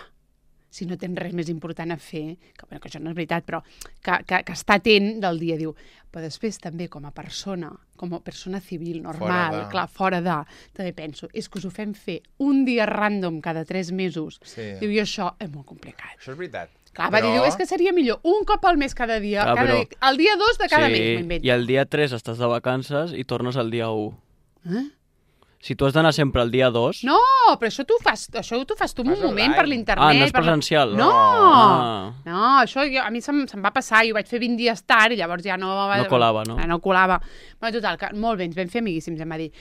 si no tens res més important a fer, que això no és veritat, però que està atent del dia, diu, però després també com a persona civil, normal, fora de, també penso, és que us ho fem fer un dia random cada 3 mesos. Sí. Diu, i això és molt complicat. Això és veritat. Clar, va dir, és que seria millor un cop al mes cada dia, el dia 2 de cada mes, m'invento. I el dia 3 estàs de vacances i tornes el dia 1. Si tu has d'anar sempre el dia 2... No, però això tu ho fas tu un moment per l'internet. Ah, no és presencial? No, això a mi se'm va passar, i ho vaig fer 20 dies tard i llavors ja no... No colava, no? No colava. Però total, molt bé, ens vam fer amiguíssims, em va dir...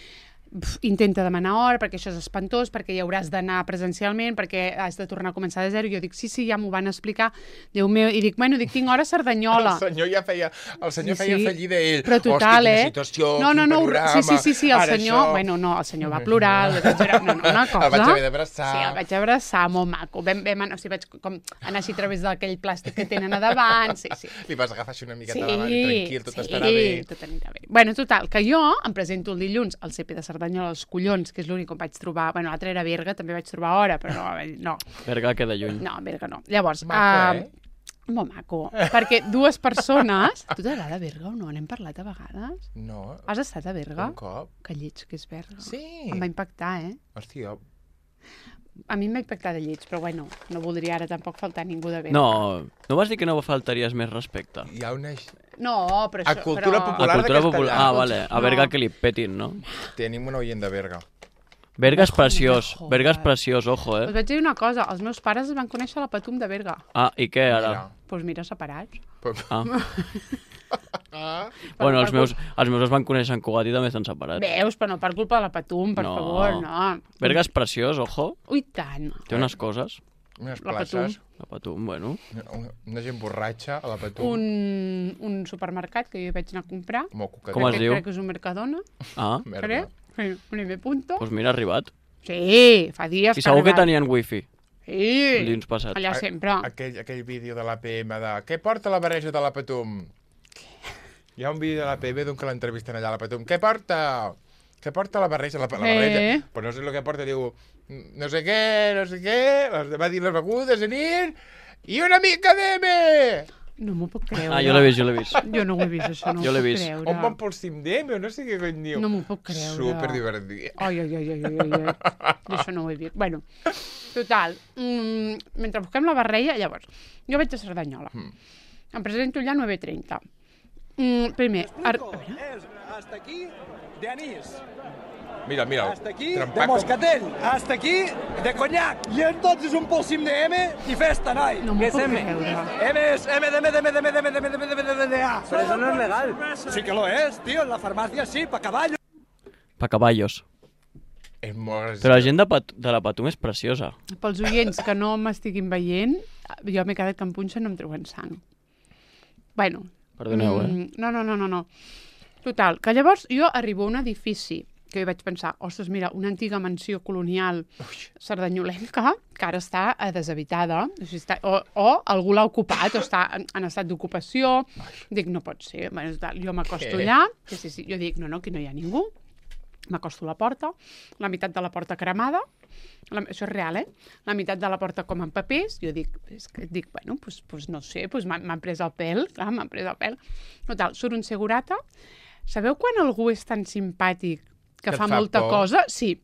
Intenta demanar hora, perquè això és espantós, perquè hi hauràs d'anar presencialment, perquè has de tornar a començar de zero. I jo dic, sí, ja m'ho van explicar. Déu meu, i dic, tinc hora a Cerdanyola. El senyor feia fallida ell. Però total, quina situació, quin panorama. Sí, el senyor... Bueno, no, el senyor va plorar, una cosa... El vaig haver d'abraçar. Sí, el vaig abraçar, molt maco. Vaig com anar així a través d'aquell plàstic que tenen a davant, sí. Li vas agafar així una miqueta davant i tranquil, tot estarà bé. Sí, tot anirà bé. Bueno, total, que jo em presento el dilluns al CP de Cerdanyola, als Collons, que és l'únic on vaig trobar... Bueno, l'altre era Berga, també vaig trobar hora, però no. Berga queda lluny. No, Berga no. Llavors... Maco, molt maco. Perquè 2 persones... Tu t'agrada Berga o no? N'hem parlat a vegades? No. Has estat a Berga? Un cop. Que lleig que és Berga. Sí. Em va impactar, Hòstia. A mi m'ha impactat de lleig, però bueno, no voldria ara tampoc faltar ningú de Berga. No vas dir que no faltaries més respecte? Hi ha una... No, però això... A cultura popular A cultura de popular. castellà. Vale. A Berga que li petin, no? Tenim un oient de Berga. Berga és preciós. joder. Berga és preciós, ojo, Us vaig dir una cosa, els meus pares es van conèixer a la Patum de Berga. Ah, i què ara? Doncs mira, separats. Ah. Ah, Bueno, els meus es van conèixer en Cugat i també estan separats. Veus, però no per culpa de la Patum, per favor, no. Berga és preciós, ojo. Ui, tant. Té unes coses. unes La places. La Patum, bueno. Una gent borratxa a la Patum. Un supermercat que jo hi vaig anar a comprar. Molt coquetet. Com es diu? Crec que és un Mercadona. Ah, Merda. Crec. Un M punto. doncs mira, ha arribat. Sí, fa dies I segur que ha arribat. tenien wifi Sí, dilluns passat. allà sempre. Aquell vídeo de l'APM de què porta la barreja de la Patum? Hi ha un vídeo de l'APM d'un que l'entrevisten allà a la Patum. Què porta? Què porta la barreja? La barreja. Però no sé el que porta, diu no sé què, va dir les begudes de nit i una mica d'M! No m'ho puc creure. Ah, jo l'he vist. Jo no ho he vist, això, no Jo m'ho l'he puc vist. creure. On van pel cim d'M o no sé què cony diu? No m'ho puc creure. Superdivertit. Ai. Jo això no ho he vist. Bueno, total, mentre busquem la barreja, llavors, jo vaig a Cerdanyola. Em presento allà a 9:30. Primer, a veure, Hasta aquí de anís, Mira, hasta aquí trempat de com- moscatell, hasta aquí de conyac. I entonces un polsim de M i festa, noi. No m'ho Que és puc M. creure. M es M de A. Pero eso no es legal. Sí que lo es, tío. En la farmacia sí, pa caballo. Pa caballos. És molt... Però la gent de la Patum és preciosa. pels oients que no m'estiguin veient, jo m'he quedat que em punxa i no em treuen sang. Bueno. Perdoneu, No. Total, que llavors jo arribo a un edifici que jo vaig pensar, ostres, mira, una antiga mansió colonial cerdanyolenca que ara està deshabitada, o, sigui, o algú l'ha ocupat, o està en estat d'ocupació. Dic, no pot ser. Bueno, total, jo m'acosto allà, sí, jo dic, no, aquí no hi ha ningú. M'acosto a la porta, la meitat de la porta cremada, això és real, la meitat de la porta com en papers, jo dic, bueno, pues no sé, pues m'han pres el pèl, clar, m'han pres el pèl. Total, surt un segurata. Sabeu quan algú és tan simpàtic que fa molta cosa? Sí,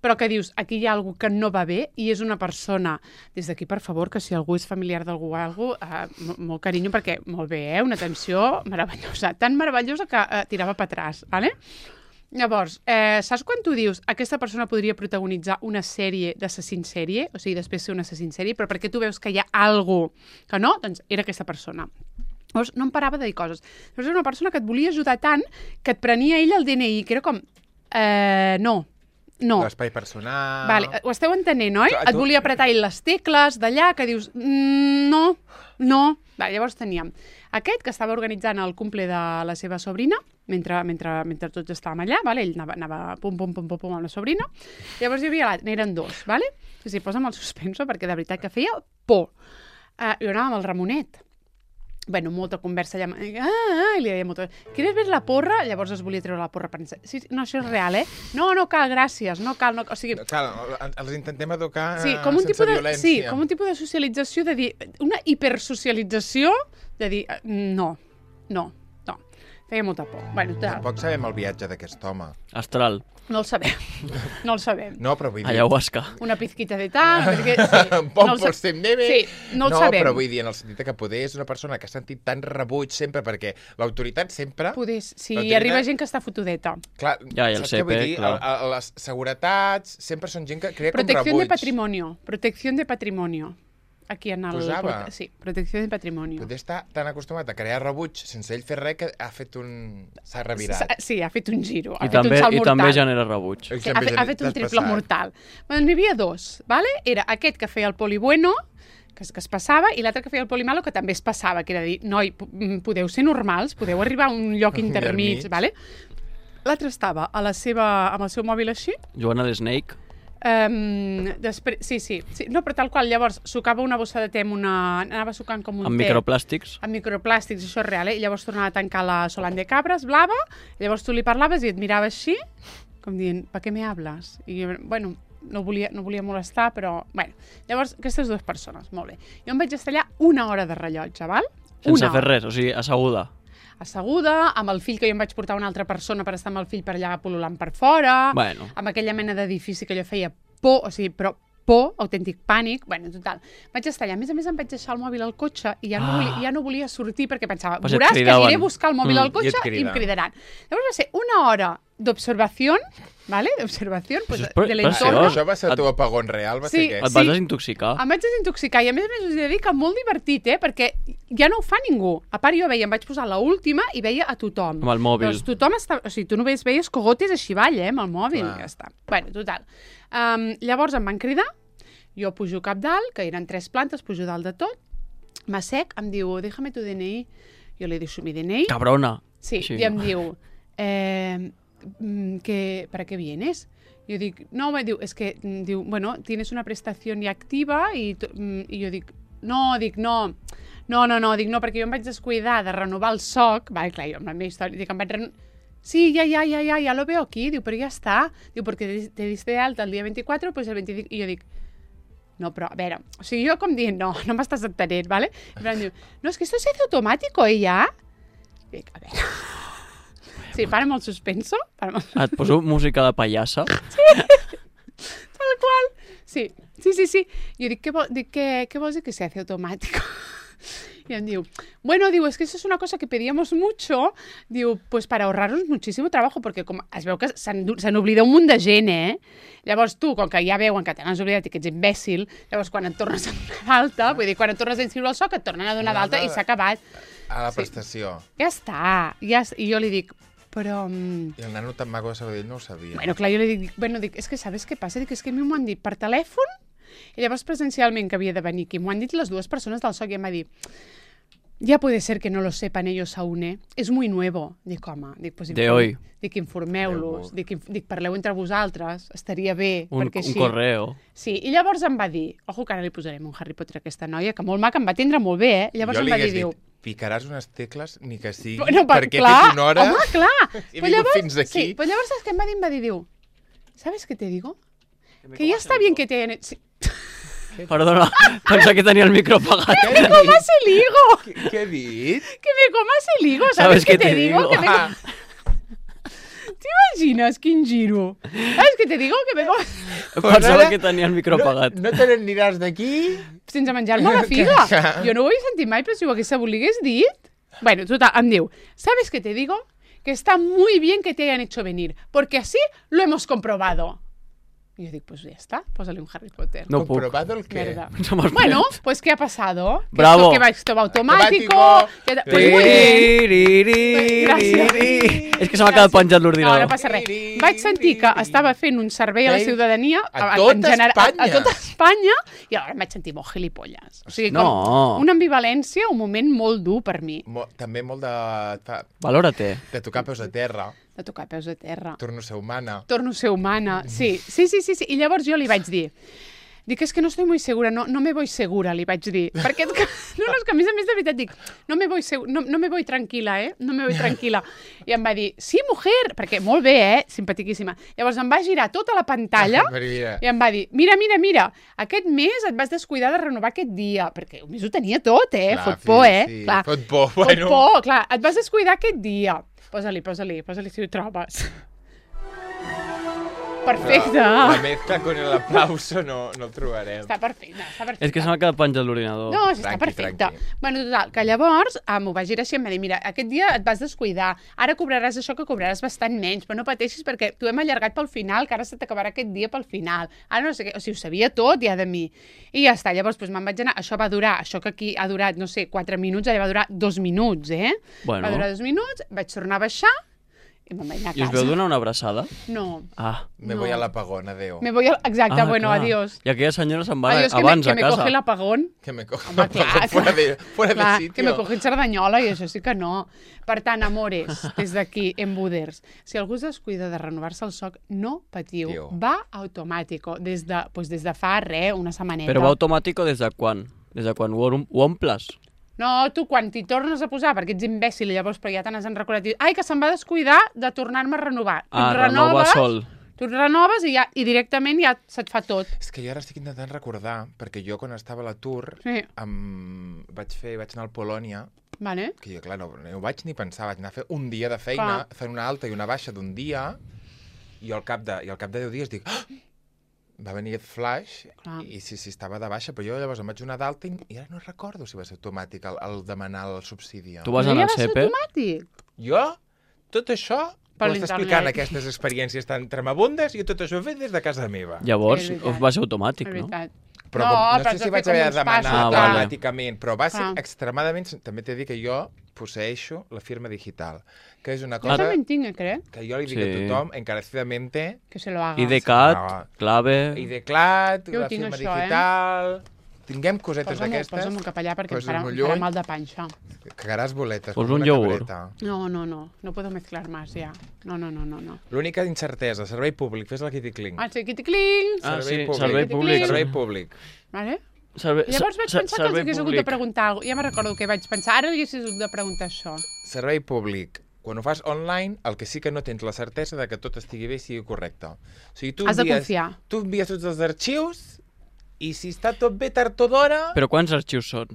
però que dius, aquí hi ha algú que no va bé i és una persona, des d'aquí, per favor, que si algú és familiar d'algú o algú, molt carinyo, perquè molt bé, una atenció meravellosa, tan meravellosa que tirava per atràs, ¿vale? Llavors, saps quan tu dius aquesta persona podria protagonitzar una sèrie d'assassins sèrie, o sigui, després ser un assassin sèrie, però perquè tu veus que hi ha algú que no, doncs era aquesta persona. Llavors, no em parava de dir coses. Llavors, era una persona que et volia ajudar tant que et prenia ell el DNI, que era com, no. L'espai personal... Vale, ho esteu entenent, oi? Et volia apretar ell les tecles d'allà, que dius, no. Vale, llavors teníem aquest que estava organitzant el cumple de la seva sobrina, mentre tots estàvem allà, vale? Ell anava pum amb la sobrina. Llavors hi havia l'altre, n'eren dos, vale? Sí, posa'm el suspenso, perquè de veritat que feia por. Jo anava amb el Ramonet. Bueno, molta conversa allà. I li deia molta... ¿Quieres ver la porra? Llavors es volia treure la porra. Sí, no, això és real, No cal, gràcies, no cal. O sigui... Cal, els intentem educar sí, com un sense tipus violència. Sí, com un tipus de socialització, de dir... Una hipersocialització, de dir... No. Feia molta por. Bueno, Tampoc sabem el viatge d'aquest home. Astral. no el sabem. No, però vull dir... Ayahuasca. Una pizquita de tal, perquè... Sí, Un poc pel sem neve. Sí, no el sabem. No, però vull dir, en el sentit que poder és una persona que ha sentit tant rebuig sempre, perquè l'autoritat sempre... Poder, sí, hi arriba gent que està fotudeta. Clar, Ja, i el saps què vull CP, dir? clar. Les seguretats sempre són gent que crea Protecció com de rebuig. Protecció de patrimonio. Aquí en el... Posava? Sí, protecció de patrimonio. Poder estar tan acostumat a crear rebuig sense ell fer res que ha fet un... S'ha revirat. Sí, ha fet un giro. I també genera rebuig. Sí, ha fet un triple mortal. Bueno, n'hi havia dos, ¿vale? Era aquest que feia el poli bueno, que es passava, i l'altre que feia el poli malo, que també es passava, que era dir, noi, podeu ser normals, podeu arribar a un lloc intermig, ¿vale? L'altre estava amb el seu mòbil així. Joana de Snake. Després, sí. No, però tal qual, llavors sucava una bossa de te anava sucant com un Amb te. microplàstics. Amb microplàstics, això és real, I llavors tornava a tancar la Solan de Cabres, blava, i llavors tu li parlaves i et mirava així, com dient, ¿pa què me hablas? I jo, bueno, no volia molestar, però... Bueno, llavors, aquestes dues persones, molt bé. Jo em vaig estar allà 1 hora de rellotge, val? Sense fer res, o sigui, asseguda. Asseguda, amb el fill que jo em vaig portar una altra persona per estar amb el fill per allà pol·lulant per fora, Bueno. amb aquella mena d'edifici que jo feia por, o sigui, però por, autèntic pànic. Bueno, total, vaig estar allà. A més, em vaig deixar el mòbil al cotxe i ja no volia sortir perquè pensava, veuràs que aniré a buscar el mòbil al cotxe i em cridaran. Llavors va ser una hora d'observació, ¿vale? D'observació, pues, de l'entorn. Això va ser el teu apagón real? Va ser què? Et vas desintoxicar? Em vaig desintoxicar i a més us he de dir que molt divertit, perquè ja no ho fa ningú. A part jo veia, em vaig posar l'última i veia a tothom. Amb el mòbil. Doncs tothom està... O sigui, tu només veies cogotes així avall, amb el mòbil, i ja està. Bueno, total. Llavors em van cridar, jo pujo cap dalt, que eren 3 plantes, pujo dalt de tot, m'assec, em diu, déjame tu DNI. Jo li deixo mi DNI. Cabrona. Sí, i em diu... ¿para qué vienes? Yo digo, no, me diu, es que, diu, bueno, tienes una prestación ya activa y jo dic, no, perquè jo em vaig descuidar de renovar el SOC, vale, clar, jo amb la meva història, dic, em vaig sí, ya lo veo aquí, diu, però ja està, diu, perquè te diste de alta el dia 24, pues el 25, i jo dic, no, però, a veure, o sigui, jo com dient, no m'estàs entenent, ¿vale? I em diu, no, es que esto se hace automático, ja? I dic, a veure... Sí, para molt suspenso. Et poso música de pallassa? Sí, tal qual. Sí. Jo dic, ¿qué vols dir que se hace automático? Y em diu, bueno, diu, es que eso es una cosa que pedíamos mucho, diu, pues para ahorrarnos muchísimo trabajo, perquè com es veu que se'n oblida un munt de gent, Llavors tu, com que ja veuen que te n'has oblidat i que ets imbècil, llavors quan et tornes a donar d'alta, vull dir, quan et tornes a inscriure al SOC, et tornen a donar d'alta i s'ha acabat. A la prestació. Ja està. I jo li dic, però... I el nano tan maco de Sabadell no ho sabia. Bueno, clar, jo li dic, és que sabes què passa? Dic, és que a mi m'ho han dit per telèfon i llavors presencialment que havia de venir aquí. M'ho han dit les 2 persones del SOC i em va dir, ya puede ser que no lo sepan ellos aún, es muy nuevo. Dic, home, pues informeu-los, dic, parleu entre vosaltres, estaria bé, perquè així... Un correo. Sí, i llavors em va dir, ojo que ara li posarem un Harry Potter a aquesta noia, que molt maca, em va atendre molt bé, Llavors em va dir, diu... Picaràs unes tecles, ni que sigui, bueno, perquè he fet una hora... Home, clar! He vingut fins aquí. Sí, però llavors saps què em va dir? Em va dir, diu, ¿sabes qué te digo? Que ya está bien que te hayan... Sí. Perdona, pensava que tenia el micro apagat. Que me comas el higo! Què he dit? Que me comas el higo, ¿sabes qué te digo? T'imagines quin giro? ¿Sabes qué te digo? Que me comas... Pensava que tenia el micro apagat. No te n'aniràs d'aquí? Sense menjar-me la figa. Jo no ho he sentit mai, però si ho hagués dit... Bueno, total, em diu, ¿sabes qué te digo? Que está muy bien que te hayan hecho venir, porque así lo hemos comprobado. Y yo digo, pues ya está, pósale un Harry Potter. No ¿Comprobado el qué? Bueno, pues ¿qué ha pasado? Bravo. Que esto va automático. Pues muy bien. Gràcies. És que se m'ha quedat penjat l'ordinador. No passa res. Vaig sentir que estava fent un servei a la ciutadania a tota Espanya i alhora em vaig sentir molt gilipolles. O sigui, com una ambivalència, un moment molt dur per mi. També molt de... Valora-te. De tocar peus a terra. De tocar peus a terra. Torno a ser humana. Torno a ser humana, sí. I llavors jo li vaig dir, dic, és que no estoy muy segura, no me voy segura, li vaig dir. Perquè, no, és que a més de veritat dic, no me voy tranquila, no me voy tranquila. I em va dir, sí, mujer, perquè molt bé, simpatiquíssima. Llavors em va girar tota la pantalla i em va dir, mira, aquest mes et vas descuidar de renovar aquest dia, perquè a més ho tenia tot, clar, fot por, sí. Clar. Fot por, bueno. Fot por, clar, et vas descuidar aquest dia. Posa-li si ho trobes. Perfecte. La mezcla con el aplauso no el trobarem. Està perfecte. És que se m'ha quedat penjat l'ordinador. No, està perfecte. Bueno, total, que llavors m'ho va girar així i em va dir, mira, aquest dia et vas descuidar, ara cobraràs això que cobraràs bastant menys, però no pateixis perquè t'ho hem allargat pel final, que ara se t'acabarà aquest dia pel final. Ara no sé què, o sigui, ho sabia tot ja de mi. I ja està, llavors me'n vaig anar, això va durar, això que aquí ha durat, no sé, 4 minuts, allà va durar 2 minuts, Bueno. Va durar 2 minuts, vaig tornar a baixar, i me'n vaig anar a casa. I us veu donar una abraçada? No. Me voy a l'apagón, adeu. Exacte, bueno, clar. adiós. I aquella senyora se'n va adiós, abans a casa. Que me coge l'apagón. Que me coge l'apagón fuera de sitio. Que me coge en Cerdanyola i això sí que no. Per tant, amores, des d'aquí, en Buders, si algú es descuida de renovar-se el SOC, no patiu. Va automàtico. Des de fa una setmaneta. Però va automàtico des de quan? Des de quan ho omples? No, tu quan t'hi tornes a posar, perquè ets imbècil i llavors però ja te n'has recordat, ai, que se'n va descuidar de tornar-me a renovar. Renova sol. Tu renoves i directament ja se't fa tot. És que jo ara estic intentant recordar, perquè jo quan estava a l'atur vaig anar al Polònia, que jo, clar, no ho vaig ni pensar, vaig anar a fer un dia de feina, fent una alta i una baixa d'un dia, i al cap de 10 dies dic, va venir el flash Clar. i sí, estava de baixa, però jo llavors em vaig donar d'alta i ara no recordo si va ser automàtic el demanar el subsidi. Tu vas No anar ja al va ser CP? automàtic? Jo, tot això, Per m'estàs explicant l'internet. aquestes experiències tan tremabundes, jo tot això ho he fet des de casa meva. Llavors Sí, és veritat. va ser automàtic, És no? veritat. Però No, no però sé has si de vaig fer com haver de uns demanar passos, clar. automàticament, però va ser Clar. extremadament... També t'he de dir que jo posseeixo la firma digital, que és una Jo cosa també en tinc, crec, que jo li dic Sí. a tothom encarecidamente, que se lo haga. IDCAT, No. clave... IDCLAT, Jo ho la tinc, firma això, digital... Tinguem cosetes Posa'm-ho d'aquestes, cap allà perquè em posa-ho farà, molt em farà lluny. mal de panxa. cagaràs boletes. Vols com un una iogurt? cabreta. No puedo mezclar más ya. No. L'única incertesa, servei públic, fes la Kitty Cling. Ah, sí, kitty-cling! Ah, sí, Servei servei públic. públic. Servei públic. Vale? Servei, I llavors vaig pensar que els servei hagués hagut de públic. preguntar alguna cosa. Ja me recordo que vaig pensar, ara hagués hagut de preguntar això. Servei públic. Quan ho fas online, el que sí que no tens la certesa de que tot estigui bé i sigui correcte. O sigui, tu Has de envies, confiar. tu envies tots els arxius i si està tot bé tard o d'hora, Però quants arxius són?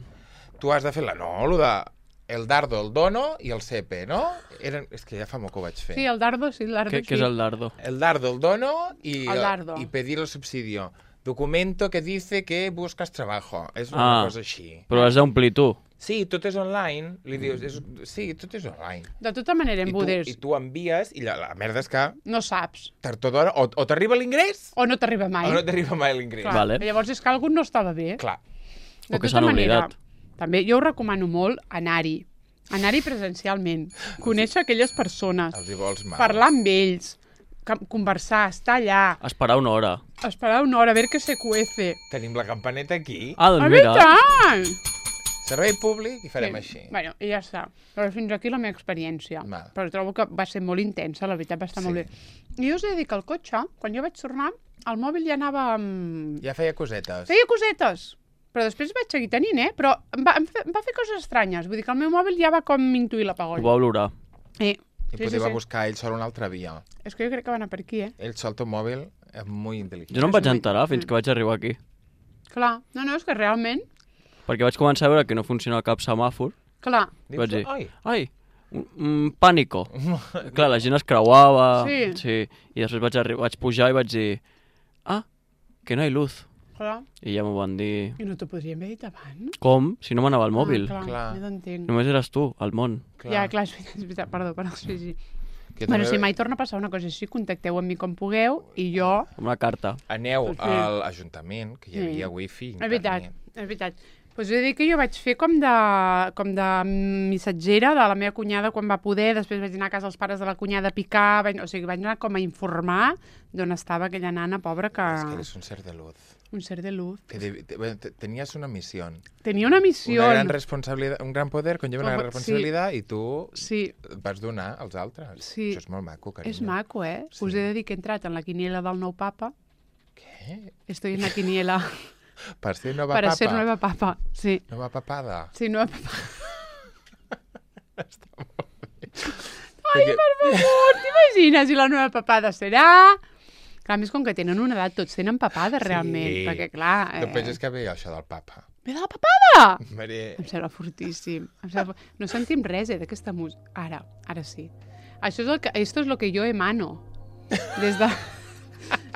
tu has de fer el de el dardo, el dono i el CP, no? És que ja fa molt que ho vaig fer. Sí, el dardo, sí, el dardo, Què és el dardo? El dardo, el dono y, El dardo. y pedir el subsidio. Documento que dice que buscas trabajo. És una Ah. cosa així. Però has d'omplir tu. Sí, tot és online. Li dius, sí, tot és online. De tota manera, en I tu envies i la merda és que no saps. tard o d'hora o t'arriba l'ingrés O no t'arriba mai. o no t'arriba mai l'ingrés. Clar. Vale. Llavors és que algú no estava bé. Clar. De O que tota s'han manera, oblidat. també jo ho recomano molt anar-hi. Anar-hi presencialment. Conèixer aquelles persones. Els hi vols mal. Parlar amb ells. Conversar, estar allà. Esperar una hora. Esperar una hora, a veure què se cuece. Tenim la campaneta aquí. Ah, doncs Ah, mira. tant! Servei públic i farem així. Bueno, i ja està. Però fins aquí la meva experiència. Val. Però trobo que va ser molt intensa, la veritat va estar molt bé. I jo us he de dir que el cotxe, quan jo vaig tornar, el mòbil ja anava... Ja feia cosetes. Feia cosetes, però després vaig seguir tenint, però em va fer coses estranyes. Vull dir que el meu mòbil ja va com intuir Ho l'apagón. va olorar. I potser va buscar ell sol una altra via. És que jo crec que va anar per aquí, Ell sol, teu mòbil, és molt intel·ligent. Jo no em vaig enterar fins que vaig arribar aquí. Clar, no, és que realment... Perquè vaig començar a veure que no funciona cap semàfor. Clar, I vaig dir, Ai, pànico. Clar, la gent es creuava. Sí. I després vaig pujar i vaig dir, que no hi luz. clar. I ja m'ho van dir, I no t'ho podríem haver dit abans? com? Si no m'anava al mòbil. Ah, clar, Clar. ja t'entenc. Només eres tu, al món. Ja, clar, és veritat, perdó, sí. Que Bueno, també si mai torna a passar una cosa així, contacteu amb mi com pugueu i jo... Amb una carta. Aneu Sí. a l'Ajuntament, que hi Sí. havia wifi, És veritat, internet. és veritat. Pues he de dir que jo vaig fer com de missatgera de la meva cunyada quan va poder, després vaig anar a casa dels pares de la cunyada a picar, o sigui, vaig anar com a informar d'on estava aquella nana pobra que... És que eres un ser de luz. Un ser de luz. Tenías una misión. Tenia una missió. Una gran responsabilitat, un gran poder conlleva una gran Sí. responsabilitat i tu Sí, vas donar als altres. Sí. Això és molt maco, carinyo. és maco, eh? Sí. Us he de dir que he entrat en la quiniela del nou papa. Què? Estoy en la quiniela Per ser nova para papa? ser nueva papa. Sí, Nova papada. sí, nueva papa. Ai, Per favor, t'imagines? I la nueva papada serà... Clar, a més, com que tenen una edat, tots tenen papada, realment. Perquè, clar... No penses que ve això del papa. Ve de la papada! Maria... Em sembla fortíssim. No sentim res, d'aquesta música. Ara sí. Això és esto es lo que yo emano. Des de...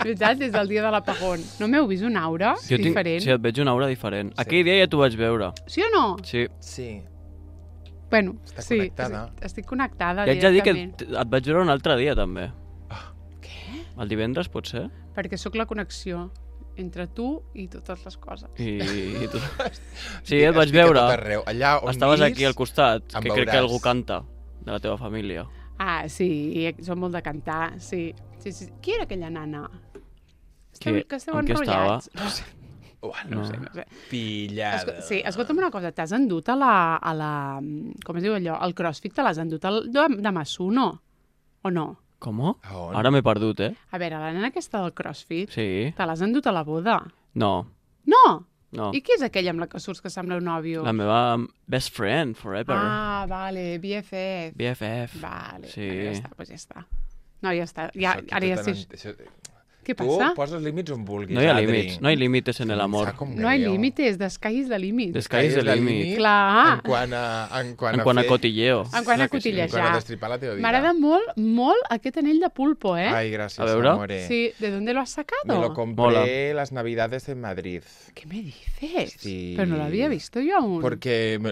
veritat, des del dia de l'apagón. No m'heu vist una aura diferent? Sí, et veig una aura diferent. Aquell dia ja t'ho vaig veure. Sí o no? Sí. Sí. Bueno, Està sí. connectada. Estic connectada I haig de dir que directament. et vaig veure un altre dia, també. Què? El divendres, pot ser? Perquè sóc la connexió entre tu i totes les coses. I tu... Sí, et vaig Estic a veure. tot arreu. Allà on Estaves vis, aquí al costat, em que crec que veuràs. algú canta de la teva família. Ah, sí, som molt de cantar, sí. Qui era aquella nana? Que esteu amb qui enrotllats. estava? No sé. No sé. No sé. Pillada. Sí, escolta'm una cosa, t'has endut a la... Com es diu allò? El crossfit te l'has endut de Masuno, o no? Com? A on? Ara m'he perdut, eh? A veure, la nena aquesta del crossfit, Sí. te l'has endut a la boda? No, No! no. I qui és aquella amb la que surts que sembla un nòvio? La meva best friend forever. Ah, vale, BFF. BFF. Vale, Sí. ja està, doncs ja està. No, ja està. Ja, ara ja sé... Què Tu passa? poses límits on vulguis, No hi ha Adri. límits, no hay límites en el amor. Sap com No hi ha greu. límites, the sky is the limit. The sky is the limit. Clar. En quant En quant a cotilleo. En quant a En quant a cotillejar. destripar la teva vida. M'agrada molt, molt aquest anell de pulpo, eh? Ay, gracias, A veure. amore. Sí, ¿de dónde lo has Me sacado? lo compré Mola. las navidades en Madrid. ¿Qué me dices? Sí. Pero no lo había visto yo aún. Porque me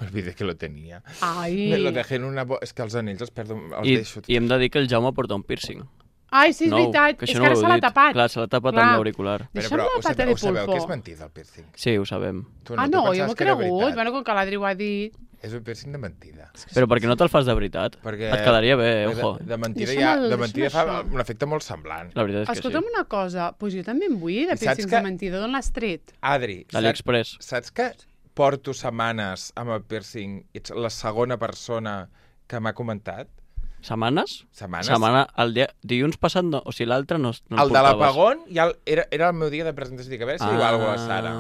olvidé que lo tenía. Ai. Me lo dejé en una... És que els anells els perdo... Els I, deixo. I hem de dir que el Jaume porta un piercing. Ai, sí, és Nou, veritat. que És això que ara no se ho l'ha he dit. tapat. Clar, se l'ha tapat Clar. amb l'auricular. Deixa'm la pata de ho sabeu pulpo. que és mentida, el piercing? Sí, ho sabem. Tu Ah, tu no, jo pensaves m'ho he que era cregut. veritat. Bueno, com que l'Adri ho ha dit. És un piercing de mentida. Però per què no te'l fas de veritat? Perquè Et quedaria bé, ojo. De mentida, Deixa'm de mentida fa això. un efecte molt semblant. La veritat és que Escolta'm sí. una cosa, doncs jo també en vull, de I saps piercings que- de mentida. D'on l'has tret? Adri, AliExpress. saps que porto setmanes amb el piercing i ets la segona persona que m'ha comentat? Setmanes? Setmanes? El dia... Dilluns passat no, o sigui, l'altre no el El de portaves. l'apagón ja era el meu dia de presentació. Dic, a veure si diu alguna cosa la Sara.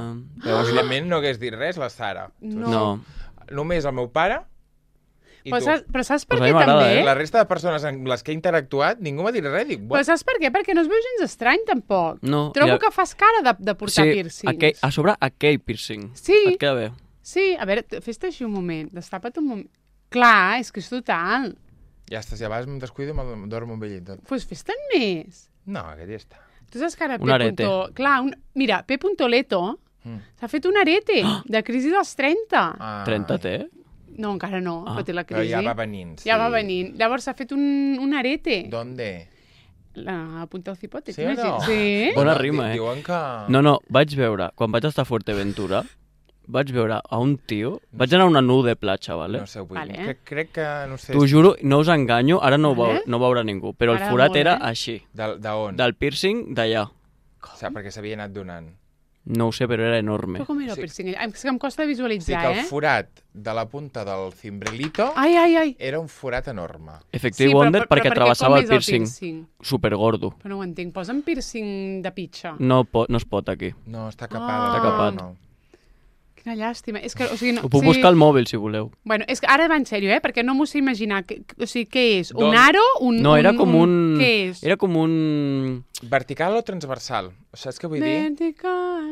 Però, evidentment, no hagués dit res la Sara. No. Només el meu pare i Però tu. saps per Pues a què mi m'agrada, també? La resta de persones amb les que he interactuat, ningú m'ha dit res. Dic, Però saps per què? Perquè no es veu gens estrany, tampoc. No, Trobo ja- que fas cara de portar piercings. a sobre aquell piercing. Sí. Et queda bé. Sí, a veure, fes-te així un moment, destapa't un moment. Clar, és que és total. ja està, si a vegades em descuido i me'l dormo amb ell i tot. Doncs pues fes-te'n més. No, aquest ja està. Tu saps que ara Un arete. Clar, mira, P. Leto s'ha fet un arete de crisi dels 30. Ah, 30 té? No, encara no, Ah. però té la Però crisi. ja va venint, sí. Ja va venint. Llavors s'ha fet un arete. ¿Dónde? La punta del cipote, Sí o no? t'imagines? Sí. Bona rima, eh? Diuen que... No, vaig veure, quan vaig estar a Fuerteventura, vaig veure a un tio... Vaig anar a una nu de platja, vale? No sé, vull Vale. dir. Crec que, no sé... T'ho juro, no us enganyo, ara no ho, Vale. no ho veurà ningú, però el Ara forat molt, era eh? així, D'on? del piercing d'allà. O sigui, perquè s'havia anat donant. No ho sé, però era enorme. Però com era el Sí. piercing? És que em costa Sí, visualitzar, que el eh? forat de la punta del cimbrelito Ai. era un forat enorme. Effective Wonder perquè travessava el com és piercing. Supergordo. Però no ho entenc. Posa'm piercing de pitxa. No es pot aquí. No, està Ah. capada. Està capat. No. Quina llàstima. És que, o sigui, no, Ho puc buscar al mòbil, si voleu. Bueno, és que ara va en sèrio, perquè no m'ho sé imaginar. O sigui, què és? Un Doncs- aro? No, era com un... Què és? Era com un... Vertical o transversal? Saps què vull dir? Vertical.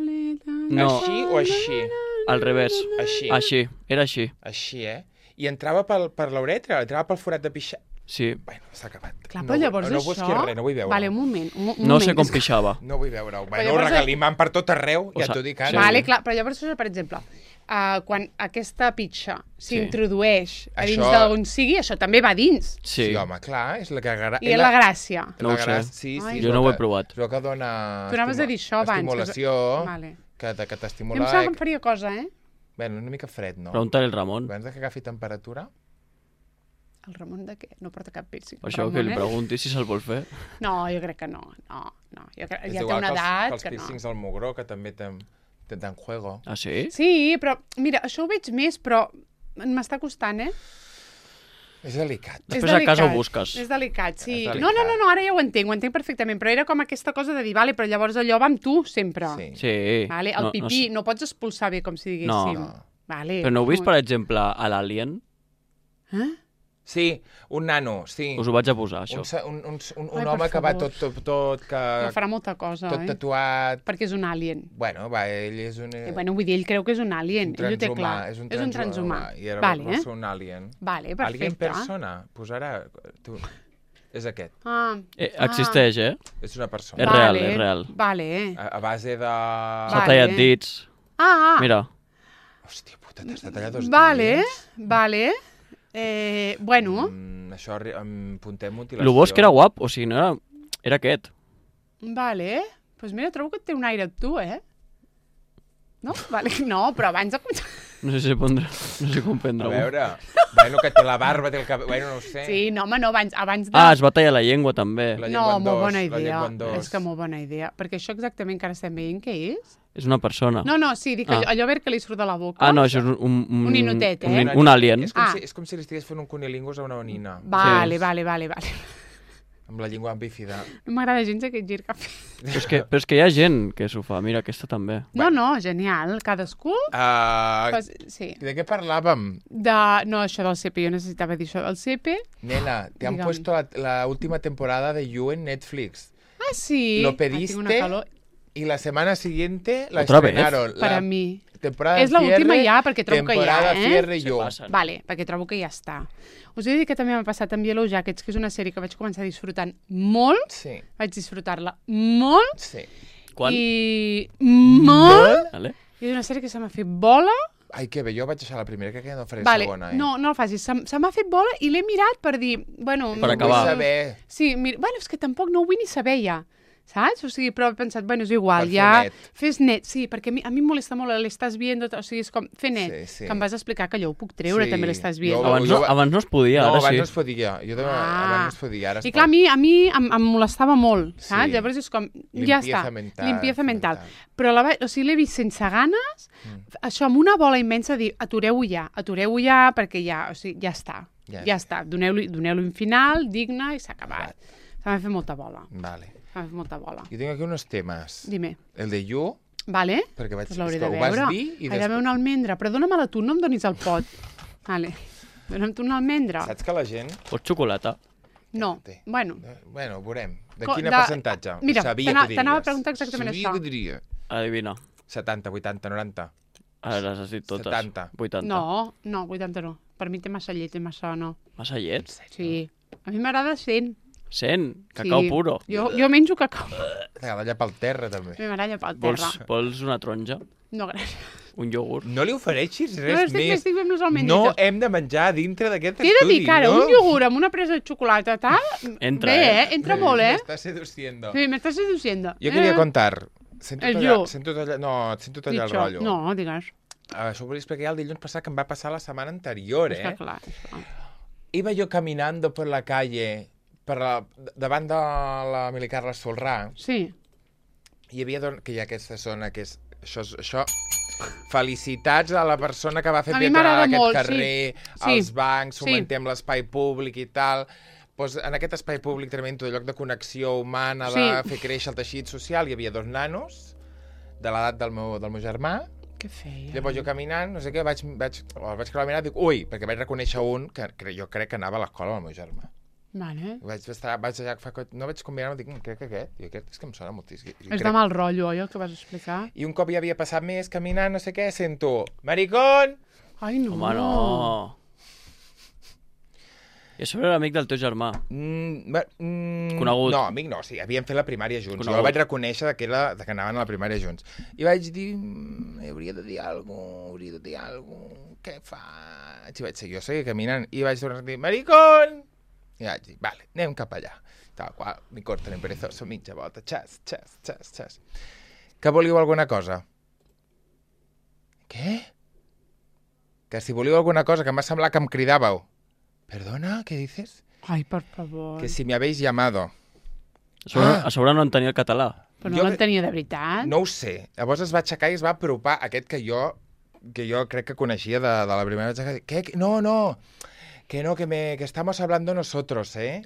No. Així o així? Al revés. Així. Així, era així. Així, eh? I entrava per l'uretra, entrava pel forat de pixar. Sí. Bueno, s'ha acabat. Clar, però llavors no això... busquis res, no vull veure-ho. Vale, un moment. No sé com pixava. No vull veure-ho. Bueno, llavors- regalimant per tot arreu, O ja sea, t'ho dic sí. ara. Vale, clar, però llavors, per exemple, quan aquesta pitxa s'introdueix a dins Això- d'on sigui, això també va dins. Sí. Sí, home, clar, és la que... I és la gràcia. No ho sé. Sí, Ai. és Jo el no ho he que- provat. És el que dona... Tu anaves a dir això abans. Estimulació, Vale. que Jo em t'estimula... sembla que em faria cosa, eh? Bueno, una mica fred, no? Pregunta-li al Ramon. Abans de que agafi temperatura... El Ramon de què? No porta cap piercing. Per això Ramon, que li pregunti si se'l vol fer. No, jo crec que no. No. Jo crec, És ja té igual una que edat els que no. piercings al mugró, que també te dan juego. Ah, sí? Sí, però, mira, això ho veig més, però m'està costant, eh? És delicat. Després a casa ho busques. És delicat, sí. És No, delicat. ara ja ho entenc perfectament, però era com aquesta cosa de dir, vale, però llavors allò va amb tu, sempre. Sí. Sí. Vale, el pipí, no pots expulsar bé, com si diguéssim. No. Vale. Però no heu vist, per exemple, a l'Alien? Eh? Sí, un nano, sí. Us ho vaig a posar, això. Un Ai, per home que va favor. tot que... No farà molta cosa, tot eh? tatuat... Perquè és un alien. Bueno, va, ell és un... Bueno, vull dir, ell creu que és un alien. Ell ho té clar. És un transhumà. I ara Vale, vol ser un alien. Vale, perfecte. Alien persona, posarà... Tu. És aquest. Ah, Existeix, eh? És una persona. És real, és real. Vale. A base de... S'ha Vale. tallat dits. Ah, Mira, Hòstia puta, t'has de tallar dos vale, dits? vale. Bueno, Això, puntem mutilació. el bo és que era guap, o sigui, no era... Era aquest. vale. Doncs pues mira, trobo que et té un aire tu, eh? No? Vale. No, però abans de... No sé si pondrà... No sé com A prendre-ho. veure, bueno, que té la barba, té el cabell... Bueno, no ho sé. Sí, no, home, no, abans de... Ah, es va tallar la llengua, també. La no, llengua en molt dos, bona la idea. llengua en dos. És que molt bona idea. Perquè això exactament que ara estem veient què és? És una persona. No, sí, dic allò verd que li surt de la boca. Ah, no, això és un... Un ninotet, eh? Un alien. És com si li estigués fent un cunilingus a una nina. Vale, Sí. vale. Amb la llengua bífida. No m'agrada gens aquest gir que ha fet. Però és que hi ha gent que s'ho fa. Mira, aquesta també. No, genial. Cadascú... Sí. De què parlàvem? No, això del CP, jo necessitava dir això del CP. Nena, te han Digue'm. puesto la última temporada de You en Netflix. Ah, sí. lo Ai, tinc una pediste calor. y la semana siguiente la ¿Otra vez? estrenaron. Per a mi. Temporada És l'última cierre, ja, perquè trobo que ja, temporada cierre Se yo. passen. Vale, perquè trobo que ja està. Us he de dir que també m'ha passat amb Yellow Jackets, que és una sèrie que vaig començar disfrutant molt, Sí, vaig disfrutar-la molt, sí. Quan? i molt, Vale. i és una sèrie que se m'ha fet bola. Ai, que bé, jo vaig deixar la primera, crec que no faré Vale, segona, no el facis, se m'ha fet bola i l'he mirat per dir, bueno... Per acabar. Vull saber... Sí, bueno, és que tampoc no ho vull ni saber ja, saps? O sigui, però he pensat, bueno, és igual, Per fer ja... net. Fes net, sí, perquè a mi em molesta molt l'estàs viendo, o sigui, és com, fer net, Sí, sí. que em vas explicar que allò ho puc treure, Sí, també l'estàs jo- viendo. Abans no es podia, No, ara abans sí. no es podia. Jo també, abans no es podia, ara es I clar, pot. a mi em molestava molt, saps? Sí. Llavors és com, ja està, Limpieza mental, limpieza mental. mental. Però o sigui, l'he vist sense ganes, això amb una bola immensa, dir, atureu-ho ja, perquè ja, o sigui, ja està, Ja ja està. està. Doneu-li un final digne i s'ha acabat. Se m'ha fet molta bola, Vale. se m'ha fet molta bola. Jo tinc aquí unos temes. Dime. El de You, Vale? perquè vaig... Pues l'hauré és que de ho vas veure. dir i Hi ha d'haver una almendra, però dóna-me-la tu, no em donis el pot. Vale. Dona'm tu una almendra. Saps que la gent... Pots xocolata? No, Té. bueno. Bueno, veurem. De Co- quin de- percentatge? Mira, Sabia t'anava- que diries. t'anava a preguntar exactament Sabia això. que diria. Adivina. 70, 80, 90. Ara les has dit totes. 70. 80. No, 80 no. Per mi té massa llet, té massa no. Massa llet? Sí. A mi m'agrada 100. 100? Cacau sí. puro. Jo menjo cacau. T'agrada allà pel terra, també. Me baralla pel terra. Vols una taronja? No, gràcies. Un iogurt? No li ofereixis No, res més. estic fent les No almendrites. hem de menjar dintre d'aquest T'he de estudi, dir que ara no? un iogurt amb una presa de xocolata, tal... Entra, Bé, entra molt, Me eh? estás seduciendo. Sí, me estás seduciendo. Jo queria contar... Sento El tallar, yo. sento tallar, no, sento tallar el Dicho. rotllo. No, digues. Això ho volia explicar el dilluns passat que em va passar la setmana anterior, És que clar. Iba yo caminando por la calle davant de la Mili Carles Solrà. Sí. Hi havia que hi ha aquesta zona que és... Això... Felicitats a la persona que va fer A mi pietat m'agrada aquest molt, carrer, sí. als bancs, Sí. fomentem l'espai públic i tal. Pues en aquest espai públic també, tot lloc de connexió humana, de Sí. fer créixer el teixit social, hi havia 2 nanos de l'edat del meu germà. Què feia? Llavors jo caminant, no sé què, el vaig creuar la mirada i dic, ui, perquè vaig reconèixer un que jo crec que anava a l'escola amb el meu germà. Vale. No vaig combinar-me, dic, crec que aquest és que em sona moltíssim. És de mal rotllo, oi, el que vas explicar? I un cop ja havia passat més caminant, no sé què, sento, maricón! Ai, no. Home, no. I a sobre era amic del teu germà. Conegut. No, amic no, sí, havíem fet la primària junts. Conegut. Jo el vaig reconèixer que anaven a la primària junts. I vaig dir, hauria de dir alguna cosa, què faig? I vaig seguir, jo seguia caminant, i vaig tornar a dir, maricón! I vaig dir, vale, anem cap allà. Tal qual, ni corta ni perezoso, mitja volta, xas. Que volíeu alguna cosa? Què? Que si volíeu alguna cosa, que em va semblar que em cridàveu. Perdona, què dices? Ai, per favor. Que si me habéis llamado. A sobre no entenia el català. Però no Jo l'entenia de veritat? No ho sé. Llavors es va aixecar i es va apropar aquest que jo crec que coneixia de la primera vegada. ¿Qué? No. Que estamos hablando nosotros, ¿eh?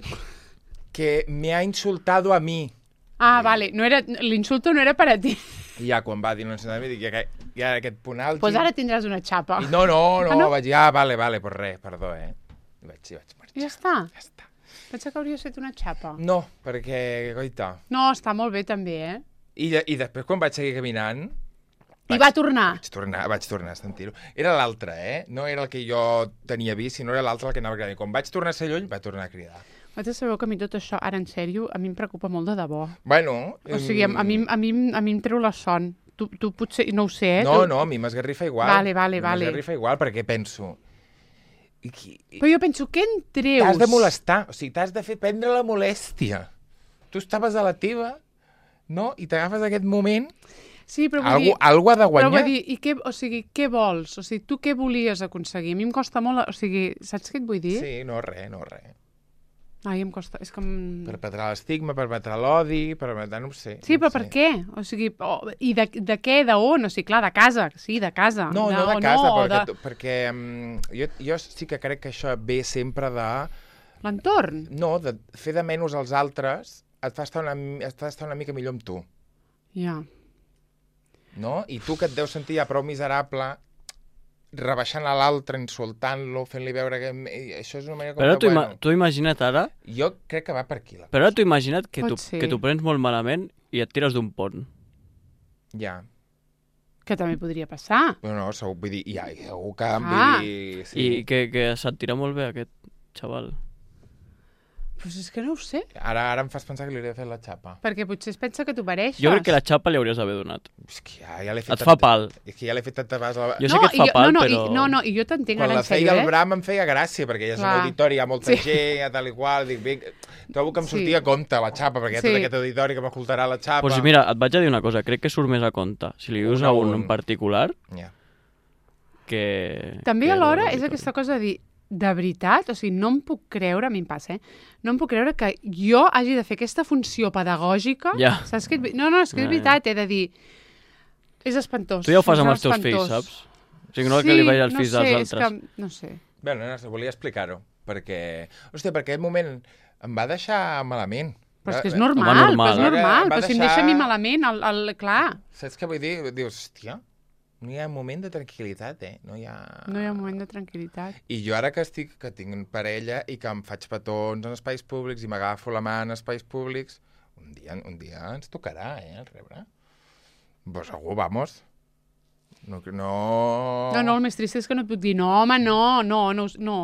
Que me ha insultado a mí. Ah, vale. L'insulto no era per a ti. I ja quan va dir no sé, dic, ja aquest punt alt... Doncs ara tindràs una xapa. No, Ah, no? vaig dir, vale, pues res, perdó, eh? I vaig marxar. Ja està. Ja està. Pensa que hauria estat una xapa. No, perquè, goita... No, està molt bé també, eh? I després quan vaig seguir caminant... I va tornar. Vaig tornar a sentir-ho. Era l'altre, eh? No era el que jo tenia vist, sinó era l'altre el que anava a cridar. I quan vaig tornar a ser lluny, va tornar a cridar. Vosaltres sabeu que a mi tot això, ara en sèrio, a mi em preocupa molt de debò. Bueno... O sigui, a mi em treu la son. Tu potser, no ho sé, eh? No, a mi m'esgarrifa igual. Vale. M'esgarrifa igual perquè penso... Però jo penso, què en treus? T'has de molestar, o sigui, t'has de fer prendre la molèstia. Tu estaves a la teva, no? I t'agafes aquest moment... Sí, però vull dir... Algú ha de guanyar. Però vull dir, què vols? O sigui, tu què volies aconseguir? A mi em costa molt... O sigui, saps què et vull dir? Sí, no, res. Ai, em costa... És com... Perpetrar l'estigma, perpetrar l'odi, perpetrar... no ho sé. Sí, però no ho per sé. què? O sigui, i de què, d'on? O sigui, clar, de casa, sí, de casa. No de casa, no, perquè jo sí que crec que això ve sempre de... L'entorn. No, de fer de menys als altres et fa estar una mica millor amb tu. Ja. No? I tu que et deus sentir ja prou miserable, rebaixant a l'altre, insultant-lo, fent-li veure que... Això és una manera com Però que, tu imagina't ara... Jo crec que va per aquí. Però ara tu imagina't que Pot ser. tu prens molt malament i et tires d'un pont. Ja. Que també podria passar. Bueno, no, segur, vull dir, segur que... Ah. Vull dir, I que se't tira molt bé aquest xaval. Pues és que no ho sé. Ara em fas pensar que li hauria fet la xapa. Perquè potser es pensa que tu pareixes. Jo crec que la xapa li hauries d'haver donat. És que ja l'he fet... Et fa pal. És que ja l'he fet tantes vegades... Jo sé que et fa pal, però... I jo t'entenc Quan ara la en sèrio, feia el Bram em feia gràcia, perquè ja és un Clar. auditori, hi ha molta gent, tal i qual, dic, bé, trobo que em sortia a compte la xapa, perquè hi ha tot aquest auditori que m'escoltarà la xapa. Pues mira, et vaig a dir una cosa, crec que surt més a compte. Si li dius a un en particular, Ja. que... També alhora és aquesta cosa de dir, de veritat, o sigui, no em puc creure, a mi em passa, no em puc creure que jo hagi de fer aquesta funció pedagògica. Ja. Saps què? No, és que és veritat, he de dir, és espantós. Tu ja ho fas amb els teus espantós. fills, saps? O sigui, no que li vagi als fills dels és altres. que, no sé. Bé, no, volia explicar-ho, perquè... Hòstia, perquè aquest moment em va deixar malament. Però és que és Home, normal, normal. però és normal. Va Però si em deixar- deixa a mi malament, clar, Saps què vull dir? Dius, hòstia, no hi ha moment de tranquil·litat, no hi ha un moment de tranquil·litat. I jo ara que tinc parella i que em faig petons en espais públics i m'agafo la mà en espais públics, un dia ens tocarà, el rebre. Pues segur, vamos. No. No, el més trist és que no et puc dir, no, home, no.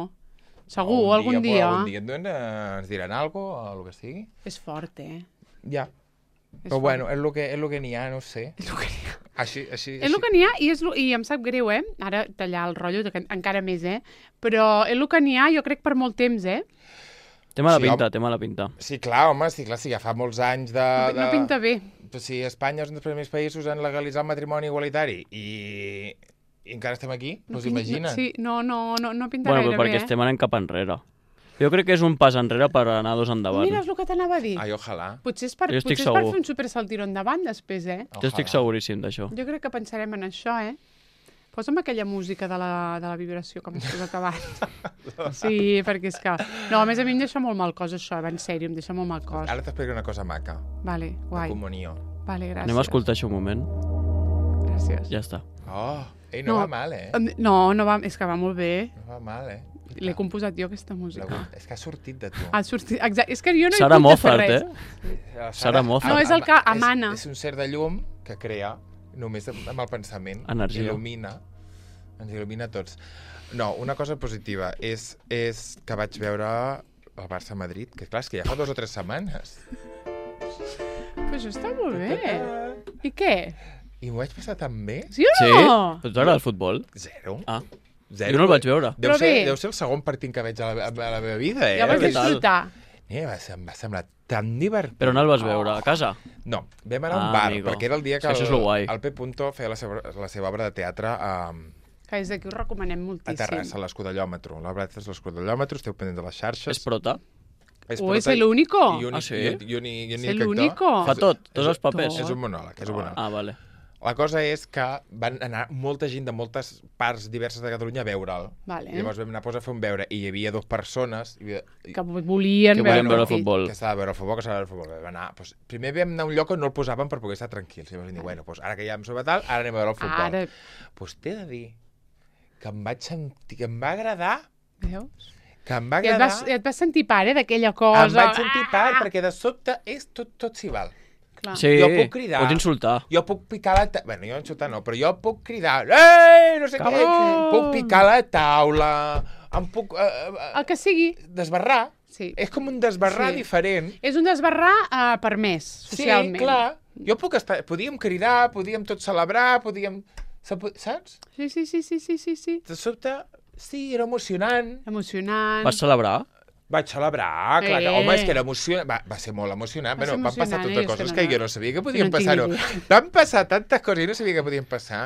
Segur, algun dia. Algun dia ens diran alguna cosa, o el que sigui. És fort, Ja. És Però fort. bueno, és el que n'hi ha, no ho sé. És el que n'hi ha. Així. És el que n'hi ha i em sap greu, ara tallar el rotllo, encara més, però és el que n'hi ha, jo crec, per molt temps, Té mala Sí, pinta, té mala pinta. Sí, clar, home, sí, ja fa molts anys de... No pinta bé. Però si Espanya és un dels primers països en legalitzar el matrimoni igualitari i encara estem aquí, doncs imagina't. Sí, no pinta Bueno, gaire però perquè bé, estem anant cap enrere. Jo crec que és un pas enrere per anar dos endavant. Mira, és el que t'anava a dir. Ai, ojalà. Potser és per Jo estic fer segur. un supersaltiró endavant després, Jo estic seguríssim d'això. Jo crec que pensarem en això, Posa'm aquella música de la vibració que m'has posat abans. Sí, perquè és que... No, a més a mi em deixa molt mal cos, això, en sèrio, em deixa molt mal cos. Ara t'explico una cosa maca. Vale, De guai. comunió. Vale, gràcies. Anem a escoltar això un moment. Gràcies. Ja està. Oh, no va mal, No va, és que va molt bé. No va mal, L'he composat jo, aquesta música. És que ha sortit de tu. Ha sortit, exacte. És que jo no Sara he pogut fer Moffat, res. Sara Moffat. No, és el que emana. És un ser de llum que crea només amb el pensament. Energia. Ens il·lumina a tots. No, una cosa positiva és que vaig veure el Barça-Madrid, que clar, és que ja fa 2 o 3 setmanes. Però això està molt bé. I què? I m'ho vaig passar tan bé. Sí o Sí? no? Però t'agrada el futbol? Zero. Ah, Zero. jo no el vaig veure. Però bé. Deu ser el segon partit que veig a la meva vida, Ja vas Què tal? disfrutar. Em va semblar tan divertit. Però on el vas veure? A casa? No, vam anar a un Ah, bar, amigo. perquè era el dia que És que això és lo guai. el P. Punto feia la seva obra de teatre a Que des d'aquí us recomanem moltíssim. Terrassa, a l'Escudellòmetro. L'obra de teatre és l'Escudellòmetro, esteu pendents de les xarxes. És prota? ¿Es el único? Ah, sí? I únic ¿Es el actor. único? Fa tot, tots els papers. És un monòleg, és un monòleg. Ah, vale. La cosa és que van anar molta gent de moltes parts diverses de Catalunya a veure'l. Vale. Llavors vam anar a fer un veure i hi havia 2 persones Que volien Que veure volien veure el partit. futbol. que s'ha de veure el futbol, que s'ha de veure el futbol. Vam anar, doncs, primer vam anar a un lloc on no el posaven per poder estar tranquils. I vam dir, bueno, doncs, ara que ja hem sobre tal, ara anem a veure el futbol. Ara, Doncs t'he de dir que em vaig sentir, que em va agradar, veus? que em va I agradar... et vas sentir pare d'aquella cosa. Em vaig sentir part, perquè de sobte és tot s'hi val. Clar. Sí, Jo puc cridar. pots insultar. Jo puc picar la taula... Bueno, jo insultar no, però jo puc cridar... Ei, no sé què! Cabrón! Puc picar la taula... Em puc... El que sigui. desbarrar. Sí. És com un desbarrar Sí. diferent. És un desbarrar permès, socialment. Sí, clar. Jo puc estar... Podíem cridar, podíem tot celebrar, podíem... Saps? Sí. De sobte, sí, era emocionant. Emocionant. Vas celebrar? Vaig celebrar, clar, que, home, és que era emocionant. Va ser molt emocionant. Va ser Bueno, van passar emocionant, tantes és coses que que jo no sabia que podien no en tinc passar. ni idea. Van passar tantes coses i no sabia que podien passar.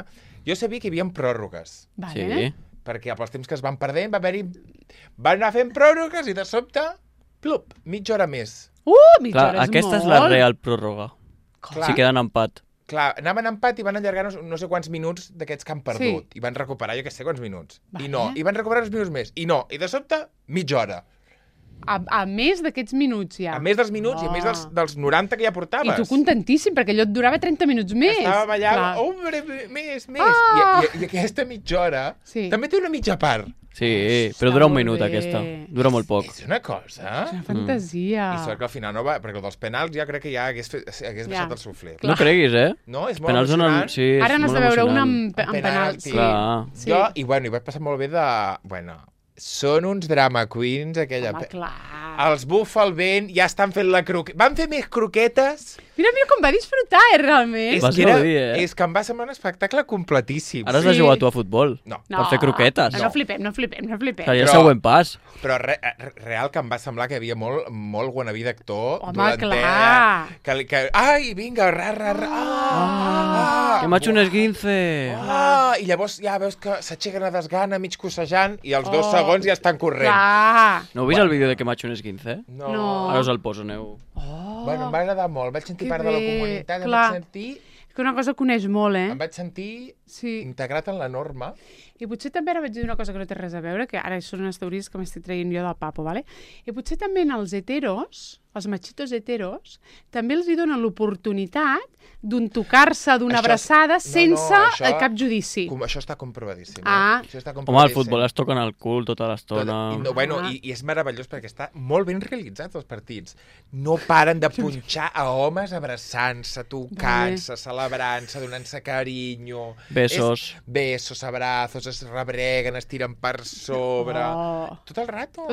Jo sabia que hi havia pròrrogues, Vale. Sí. perquè pels temps que es van perdent va haver-hi... Van anar fent pròrrogues i de sobte, plup, mitja hora més. Mitja Clar, hora és aquesta molt. és la real pròrroga. Clar, Si queden empat. clar, anaven a empat i van allargar no sé quants minuts d'aquests que han perdut. I van recuperar, jo què sé quants minuts. Vale. I no, i van recuperar uns minuts més. I no, i de sobte, mitja hora. a més d'aquests minuts ja. A més dels minuts i a més dels 90 que ja portaves. I tu contentíssim, perquè allò et durava 30 minuts més. Estàvem allà, hombre, més. I aquesta mitja hora també té una mitja part. Sí, però dura un minut aquesta. Dura molt poc. És una cosa. És una fantasia. I sort que al final no va, perquè el dels penals ja crec que ja hagués baixat el suflé. No creguis, No, és molt emocionant. Sí, ara n'has de veure una amb penals. Jo, i bueno, hi vaig passar molt bé de... Bueno, són uns drama queens, aquella... Home, clar. Els bufa el vent, ja estan fent la croqueta. Van fer més croquetes... Mira com va disfrutar, realment. És que em va semblar un espectacle completíssim. Ara has de jugar tu a futbol. No. Per fer croquetes. No flipem. Seria el següent pas. Però real que em va semblar que hi havia molt wannabe d'actor. Home, clar. Ai, vinga, que m'ha hecho un esguince. I llavors ja veus que s'aixequen a desgana, mig cossejant, i els 2 segons ja estan corrent. No heu vist el vídeo de que m'ha hecho un esguince? No. Ara us el poso, aneu. Bueno, em va agradar molt. Vaig sentir part de la comunitat, em vaig sentir... Que una cosa que coneix molt, Em vaig sentir integrat en la norma. I potser també ara vaig dir una cosa que no té res a veure, que ara són unes teories que m'estic traient jo del papo, ¿vale? I potser també en els heteros, els machitos heteros, també els hi donen l'oportunitat d'un tocar-se, d'una abraçada, sense cap judici. Això està comprovadíssim. Home, al futbol es toquen el cul tota l'estona. I és meravellós perquè està molt ben realitzat els partits. No paren de punxar a homes abraçant-se, tocant-se, celebrant-se, donant-se carinyo. Besos, abrazos, es rebreguen, es tiren per sobre... Tot el rato.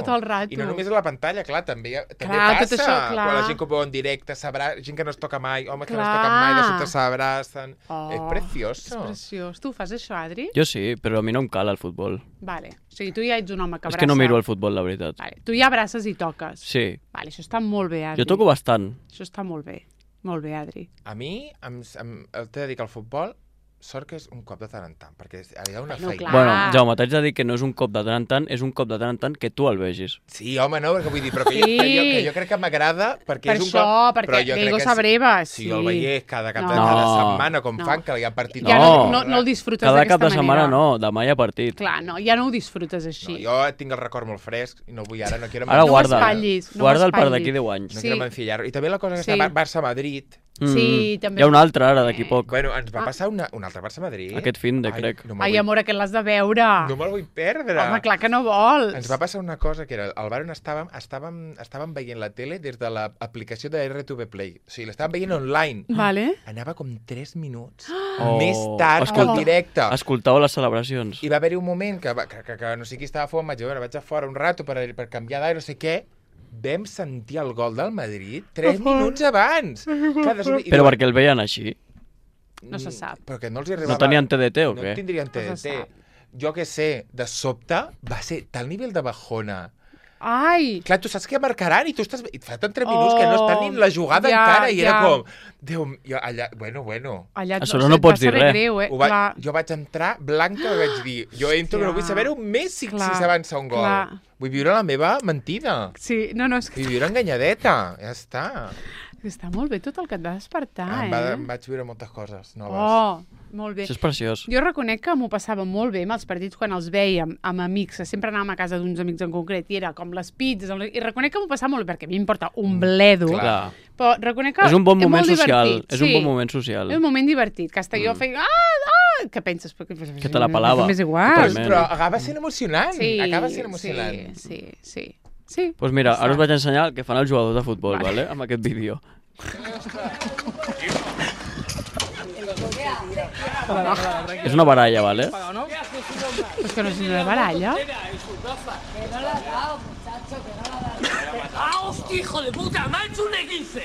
I no només a la pantalla, clar, també passa. Quan la gent que ho veu en directe, gent que no es toca mai, homes que no es toquen mai, de sobte s'abracen. És preciós. És preciós. Tu fas això, Adri? Jo sí, però a mi no em cal el futbol. Vale. O sigui, tu ja ets un home que abraça. És que no miro el futbol, la veritat. Vale. Tu ja abraces i toques. Sí. Vale, això està molt bé, Adri. Jo toco bastant. Això està molt bé. Molt bé, Adri. A mi, t'he de dir que el futbol, sort que és un cop de tant en tant, perquè hi ha una feina. Bueno, Jaume, t'haig de dir que no és un cop de tant en tant, és un cop de tant en tant que tu el vegis. Sí, home, no, perquè vull dir, però que jo crec que m'agrada, perquè és un cop... Per això, perquè Diego Sabreva, sí. Si jo el veiés cada setmana, com fan, que hi ha partit... No el disfrutes d'aquesta manera. Cada cap de setmana no, demà hi ha partit. Clar, no, ja no ho disfrutes així. Jo tinc el record molt fresc i no vull ara, no quiero... Ara guarda el per d'aquí 10 anys. No quiero mancillar-ho. I també la cosa que està Barça-Madrid... Sí, també. Hi ha un altre ara, d'aquí poc. Bueno, ens va passar un altre Barça-Madrid. Aquest fin de, crec. Ai, amor, aquest l'has de veure. No me'l vull perdre. Home, clar que no vols. Ens va passar una cosa, que era, al bar on estàvem veient la tele des de l'aplicació de RTV Play. O sigui, l'estàvem veient online. Vale. Anava com 3 minuts més tard que el directe. Escoltàveu les celebracions. I va haver-hi un moment que no sé qui estava fora, vaig a fora un rato per canviar d'aire, no sé què. Vam sentir el gol del Madrid 3 minuts abans. Però perquè el veien així? No se sap. Però que no els arribava... No tenien TDT o què? No tindrien TDT. Jo què sé, de sobte va ser tal nivell de bajona. Ai! Clar, tu saps què marcaran i tu estàs... I fa tant 3 minuts que no estan ni en la jugada encara i era com... Déu, jo allà... Bueno. Allà no pots dir res. Greu, jo vaig entrar blanca i vaig dir... Jo entro que no vull saber-ho més si s'avança un gol. Vull viure la meva mentida. Sí, no, és que... Vull viure enganyadeta. Ja està. Està molt bé tot el que et va despertar, Em vaig viure moltes coses noves. Molt bé. Això és preciós. Jo reconec que m'ho passava molt bé amb els partits quan els vèiem amb amics. Sempre anàvem a casa d'uns amics en concret i era com les pizzas. I reconec que m'ho passava molt bé perquè a mi m'importa un bledo. Clar. Però reconec que és un bon moment social. És un bon moment social. És un moment divertit. Que hasta jo feia... Què penses? Que te la pelava. És igual. Però acaba sent emocionant. Acaba sent emocionant. Sí. Doncs mira, ara us vaig ensenyar el que fan els jugadors de futbol, vale? Amb aquest vídeo. És una baralla, ¿vale? Pues que no és una baralla. ¡Ah, hostia, hijo de puta! ¡Me ha hecho un E15!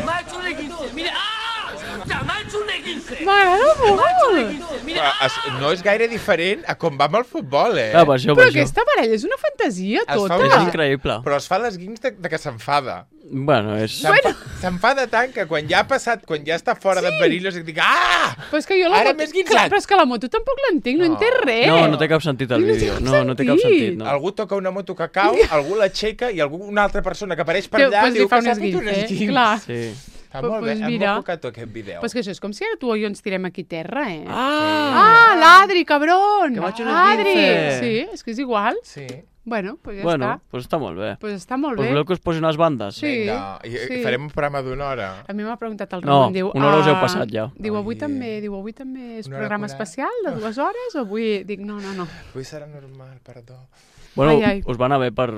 ¡Me ha hecho un E15! ¡Mira! ¡Ah! ¡Me ha hecho un E15! M'agrada molt! Mira, no és gaire diferent a com va amb el futbol, Però aquesta baralla és una fantasia tota. És increïble. Però es fa les guins de que s'enfada. Bueno, és... S'enfada tant que quan ja ha passat, quan ja està fora de perillos, dic, Però és que jo ara m'he esguinçat. Però és que la moto tampoc l'entenc, no entès res. No té cap sentit el vídeo. No té cap sentit. Algú toca una moto que cau, algú l'aixeca i una altra persona que apareix per allà diu que s'ha fet un esguinç. Clar. Sí. Està molt bé, hem enfocat aquest vídeo. Però és que això és com si ara tu o jo ens tirem aquí terra, l'Adri, cabron! Que vaig un esguince! Sí, és que és igual. Sí. Bueno, pues ja Bueno, està. pues està molt bé. Pues està molt Pues bé. voleu que us posin les bandes? Sí. Vinga, i farem un programa d'una hora. A mi m'ha preguntat el No, Ramon, diu... una hora us heu passat ja. Diu, avui Ai. també és Una hora programa 40. especial de 2 hores o avui... Dic, no. Avui serà normal, perdó. Bueno, Ai. us va anar bé per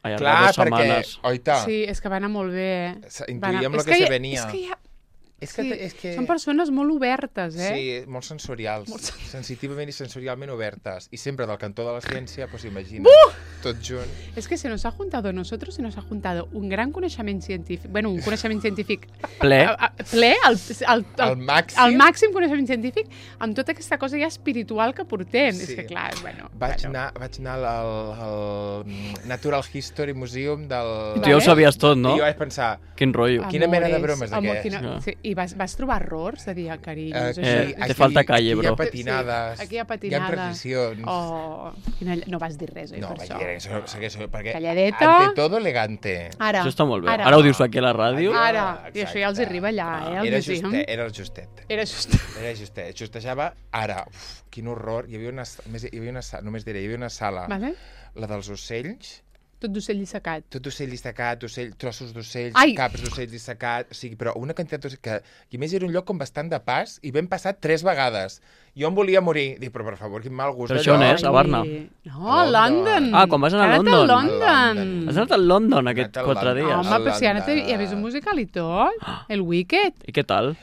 allargar Clar, 2 perquè, setmanes. oita, Sí, és que va anar molt bé. intuïem És lo que se hi ha- venia. És que hi ha... És que, Sí, és que... són persones molt obertes, eh? Sí, molt sensorials. Sensitivament i sensorialment obertes. I sempre del cantó de la ciència, pues imagina, tot junt. Es que se nos ha juntado nosotros, se nos ha juntado un gran coneixement científic, bueno, un coneixement científic Ple. ple, Al màxim. el màxim coneixement científic, amb tota aquesta cosa ja espiritual que portem. Sí. És que clar, bueno... Vaig anar al Natural History Museum del... Tu ja ho sabies tot, no? I jo vaig pensar, Quin rotllo. Quina mena de Amores, bromes amor, aquests? Sí, i vas trobar errors de dir carinyos, Te falta calle, aquí hi bro. ha patinades, Sí, aquí hi ha hi ha patinades. precisions. No vas dir res, oi, No, per vaig això? dir això, perquè Calladeta. ante todo elegante. Ara, Això està molt bé. Ara ho dius aquí a la ràdio? Ara. I això ja els Exacte. arriba allà, al Era museum. justet, era el justet. Era just... Era justet. Justejava ara. Uf, quin horror. Hi havia una sala, només diré, hi havia una sala, Vale? la dels ocells, Tot d'ocell dissecat. tot ocell dissecat, trossos d'ocells, Ai! caps d'ocells dissecat, o sigui, però una quantitat d'ocells que... I a més era un lloc com bastant de pas i vam passar 3 vegades. Jo em volia morir. Dic, però per favor, quin mal gust Però això on allò. és? A Barna? No, a London. Ah, quan vas anar a Has anat London. a London. London. Has anat a London aquest He anat a 4 London. dies? Home, però si ara London. hi ha vist un musical i tot. El Wicked. I què tal?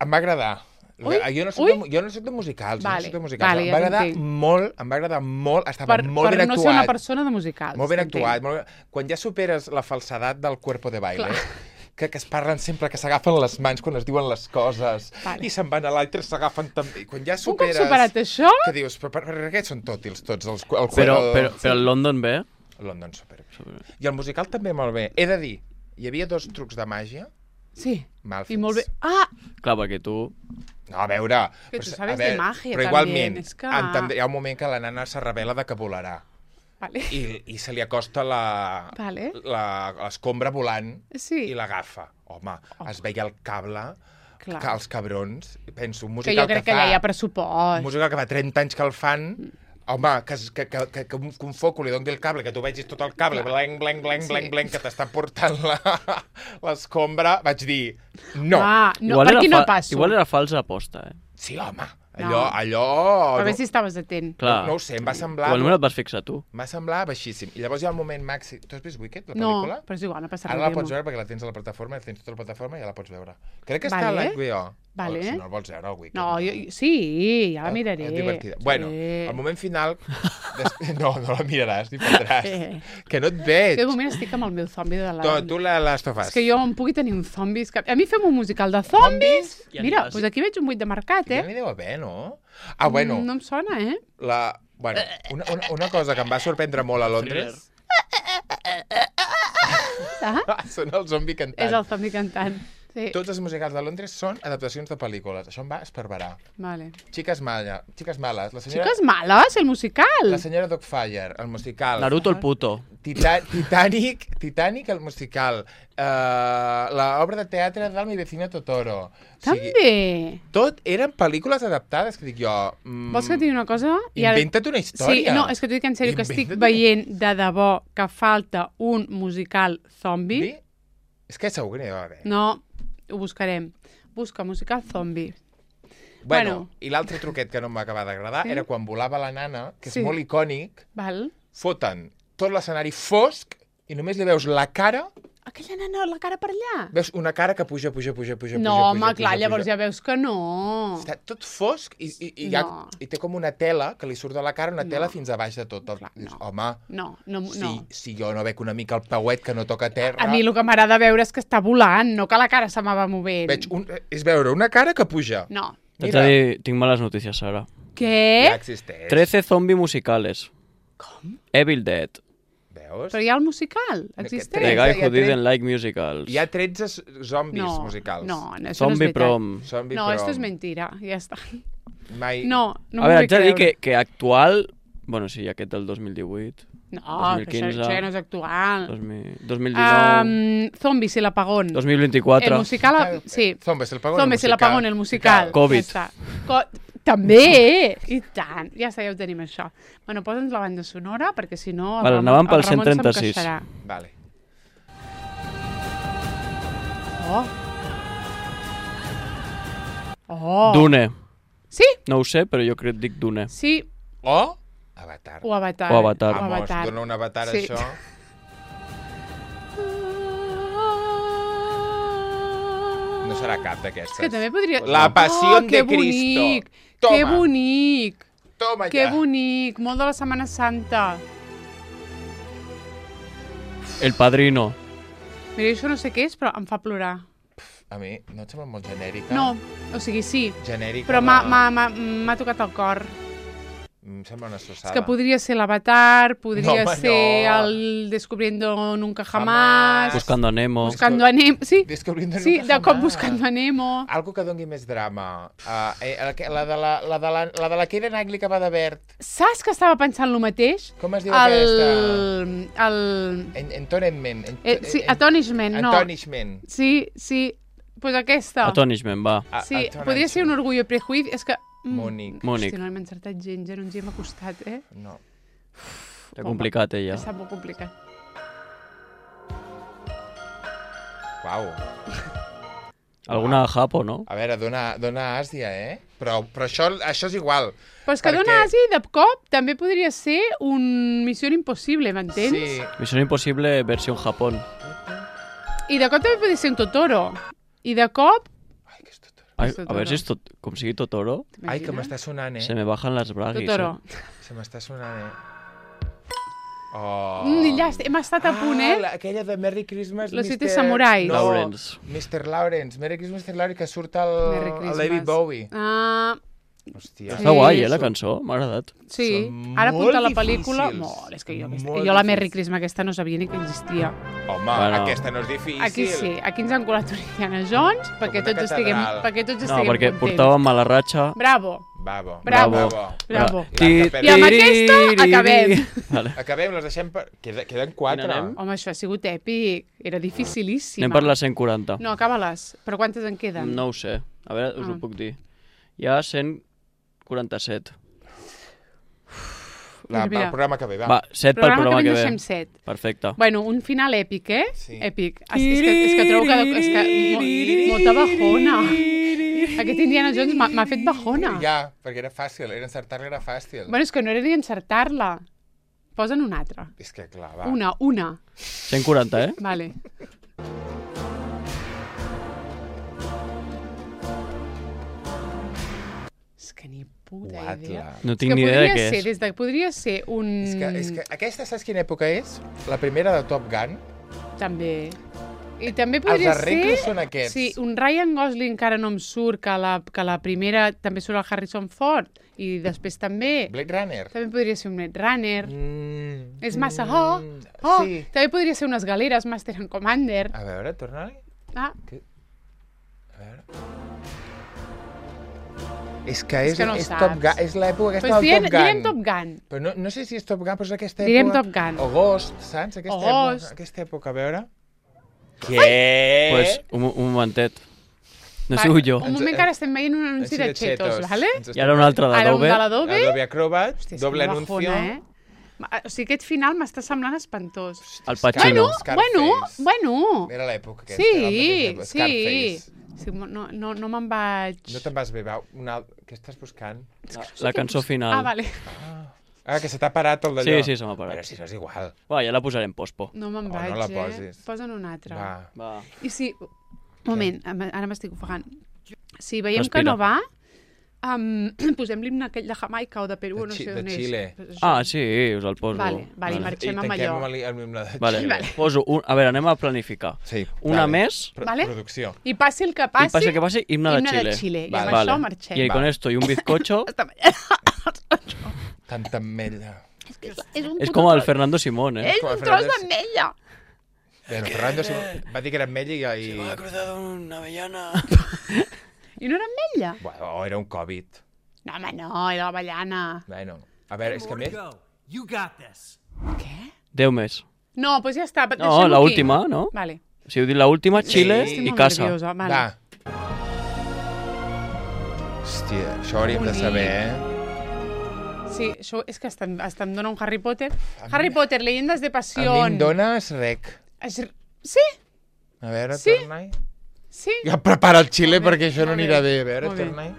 Em va agradar. Ui, Jo no soc de musicals, Vale, jo no soc de musicals. vale, em ja va agradar t'entenc. molt, em va agradar molt, estava molt Per ben no actuat. ser una persona de musicals. Molt ben t'entenc. actuat. Molt ben... Quan ja superes la falsedat del cuerpo de baile, Clar. que es parlen sempre, que s'agafen les mans quan es diuen les coses, Vale. i se'n van a l'altre, s'agafen també. Quan ja Un cop superes... superat això... Que dius, però per què són tòtils tots els... El, Però el London bé? London super. I el musical també molt bé. He de dir, hi havia 2 trucs de màgia Sí, mal fets. i molt bé. Ah, Clar, perquè tu... No, a veure... Que però, tu sabes de magia, però també, igualment, és que- hi ha un moment que la nana se revela de que volarà. vale. I se li acosta Vale. l'escombra volant Sí. i l'agafa. Home, es veia el cable, Clar. que els cabrons, penso, un Que musical jo crec que fa... ja hi ha Un pressupost. musical que fa 30 anys que el fan, home, que un foco li doni el cable, que tu vegis tot el cable, blanc, que t'està portant l'escombra, vaig dir, no. Ah, no, per aquí no passo. Igual era falsa aposta, eh? Sí, home, No. allò... A veure si estaves atent. Clar. No ho sé, em va semblar... Igualment et vas fixar tu. M'ha semblat baixíssim. I llavors hi ha el moment màxim... Tu has vist Wicked, la No, pel·lícula? però és igual, no passa res. Ara la diguem-ho. pots veure perquè la tens a la plataforma, tens tota la plataforma i ja la pots veure. Crec que està a Vale. l'HBO. Vale. Si no el vols veure, el Wicked. No, sí, ja la miraré. És divertida. Sí. Bueno, al moment final... No la miraràs, ni prendràs. Que no et És veig. que de moment estic amb el meu zombi de la... Tu les tofes. És que jo em pugui tenir un zombi... A mi fem un musical de zombis. Ja Mira, aniràs. doncs aquí veig un 8 de mercat, Ja eh? n'hi deu haver, no? Ah, bueno, No em sona, eh? bueno, una cosa que em va sorprendre molt a Londres... Ah, Són el zombi cantant. és el zombi cantant. Sí, Tots els musicals de Londres són adaptacions de pel·lícules. Això em va esparverar. vale. Chiques Males, la senyora... Xiques males, el musical. La senyora Dogfire, el musical. Naruto el puto. Titanic, el musical. L'obra de teatre del Mi vecino Totoro. També. Tot eren pel·lícules adaptades, que dic jo... Vols que et digui una cosa? Inventa't una història. Sí, no, és que t'ho dic en sèrio, que estic Inventa't veient de debò que falta un musical zombi. Sí? És que segur que n'hi deu haver. No, ho buscarem. Busca musical zombi. Bueno, bueno. i l'altre truquet que no em va acabar d'agradar Sí? era quan volava la nana, que és Sí. molt icònic, Val? foten tot l'escenari fosc i només li veus la cara, Aquella nana, la cara per allà. veus una cara que puja. No, home, clar, llavors ja veus que no. Està tot fosc i No. té com una tela que li surt de la cara, una tela No. fins a baix de tot. Clar, Dius, no. home, No. si jo no veig una mica el pauet que no toca terra... A mi el que m'agrada veure és que està volant, no que la cara se m'ava movent. És veure una cara que puja. No. T'haig de dir, tinc males notícies, Sara. Què? Ja existeix. 13 zombi musicales. Com? Evil Dead. Veus? Però hi ha el musical, existeix? Tretze, The guy hi ha who didn't tretze. like musicals. Hi ha 13 zombis No, musicals. no, això no és Zombie veritat. Prom. Zombie No, prom. esto es mentira, ja està. Mai... No A m'ho veure, vull haig de dir creure. que actual... Bueno, sí, aquest del 2018. No, 2015, això ja no és actual. 2019... Zombies, el apagón. 2024. El musical, sí. Zombies, el pagón, Zombies, el apagón, el musical. COVID. Ja està. També! I tant! Ja està, ja ho tenim, això. Bueno, posa'ns la banda sonora, perquè si no... Vale, anàvem pel 136. Vale. Dune. Sí? No ho sé, però jo crec que dic Dune. Sí. O Avatar. O Avatar. O Avatar. Vamos, dona un Avatar, Sí. això. No serà cap d'aquestes. És que també podria... La Pasión de que Cristo. bonic! Toma. Que bonic! Toma Que ja. bonic! Molt de la Setmana Santa. El Padrino. Mira, això no sé què és, però em fa plorar. A mi no et sembla molt genèrica? No, o sigui, sí, Genèrica. però m'ha tocat el cor. Em sembla una sossada. És que podria ser l'Avatar, podria No, home, ser no. el Descubriendo Nunca Jamás... Buscando a Nemo. Buscando a Nemo... Sí, Descubriendo sí, Nunca de cop Jamás. Buscando a Nemo. Algo que doni més drama. La de la Keira Knightley que va de verd. Saps que estava pensant el mateix? Com es diu aquesta? Entonishment, Sí, Atonishment, no. Antonishment. Sí, pues aquesta. Atonishment, va. Sí, Atonishment. podria ser un Orgullo i Prejuicio, és que... Mònic. Mònic. Hosti, no hem encertat gens, ja no ens hi hem acostat, eh? No. Està complicat, ella. Està molt complicat. Uau. Alguna Japo, no? A veure, dona Àsia, eh? Però això és igual. Però és que Dona Àsia i de cop també podria ser un Missió Impossible, m'entens? Sí. Misión Imposible versió Japón. I de cop també podria ser un Totoro. I de cop... Ai, És a veure si és com sigui Totoro, Ai, que m'està sonant, eh? se me bajan les braguis. Totoro. Se m'està sonant, eh? Oh. Ja hem estat a punt, eh? Aquella de Merry Christmas, Los Siete Samurais. No, Lawrence. Mr. Lawrence. Merry Christmas, Mr. Lawrence, que surt Merry el Christmas. David Bowie. Hòstia. Està guai, la cançó, m'ha agradat. Sí, Són ara apunta la molt pel·lícula... difícils. Molt, és que jo Molt la Merry difícils. Christmas aquesta no sabia ni que existia. Home, Bueno. aquesta no és difícil. Aquí sí, aquí ens han colat un Indiana Jones perquè una tots estiguem catedral. No, perquè contents. portàvem mala ratxa. Bravo. Bravo. Bravo. Bravo. I amb aquesta acabem. Vale. Acabem, les deixem per... Queden 4. Quina anem? Home, això ha sigut èpic. Era dificilíssima. Anem per les 140. No, acaba-les. Però quantes en queden? No ho sé. A veure, us ho puc dir. Hi ha 147. Mira. El programa que ve, va. Va, 7 pel programa que ve. deixem 7. Perfecte. Bueno, un final èpic, eh? Sí. Èpic. És que trobo que... molta bajona. Aquest Indiana Jones m'ha fet bajona. Ja, perquè era fàcil. Encertar-la era fàcil. Bueno, és que no era ni encertar-la. Posa'n una altra. És que clar, va. Una. 140, eh? Vale. És que ni puta idea. No tinc ni idea de què és. Podria ser un... És que aquesta, saps quina època és? La primera de Top Gun. També. I també podria Els ser... arreglos són aquests. Sí, un Ryan Gosling encara no em surt, que la primera també surt el Harrison Ford, i després també... Blade Runner. També podria ser un Blade Runner. És massa... Sí. També podria ser unes galeres, Master and Commander. A veure, torna-li. Ah, A veure... És que és no Top saps. Gun, és l'època aquesta pues del Top Gun. direm Top Gun. Però no sé si és Top Gun, però és aquesta època... Direm Top Gun. O Ghost, saps? Ghost. Aquesta època, a veure... Què? Pues, un momentet. No he sigut jo. Un moment que ara estem veient un anunci de Cheetos, vale? I ara un altre Ara un d'Adobe. de l'Adobe. Adobe Acrobat, Hòstia, és doble que anuncio. bajona, O sigui, aquest final m'està semblant espantós. El Pacino. Bueno. Era l'època aquesta. Sí. Scarface. Sí, no me'n vaig... No te'n vas bé, va. Què estàs buscant? La cançó final. Ah, vale. Que se t'ha parat el d'allò. Sí, se m'ha parat. Però si no és igual. Va, ja la posarem pospo. No me'n Oh, vaig, no la posis. Posa'n una altra. Va. I si... Un moment, ara m'estic ofegant. Si veiem Respira. que no va, posem l'himne aquell de Jamaica o de Perú, no sé de on és. Xile. Pues això. Ah, sí, us el poso. Vale, i marxem amb allò. I tanquem el himne de Vale. Xile. Poso a veure, anem a planificar. Sí, Una vale. més. Vale. Producció. I passi el que passi, Y pase que pase, himne de Chile. I amb això marxem. Y con esto y un bizcocho, Tanta ametlla. es como el Fernando Simón, ¿eh? És com el un tros Fernández. d'ametlla. Bueno, Fernando va dir que era ametlla i... ha cruzado una avellana. I no era ametlla? Bueno, era un Covid. No, home, no, era l'avellana. Bueno, a veure, és que a més... You got this. Què? 10 més. No, doncs ja està. No, la última, ¿no? Vale. Si heu dit la última, Chile Sí. Estic y molt casa. nerviosa. Vale. Va. Hòstia, això ho hauríem de saber, Sí, això és que hasta em dona un Harry Potter. Harry Potter, Leyendas de A mi Pasión. em dones rec. Sí, A veure, Sí? torna-hi. sí. Ja prepara el xile Molt bé, perquè això no molt bé, anirà bé. A veure, molt bé. torna-hi.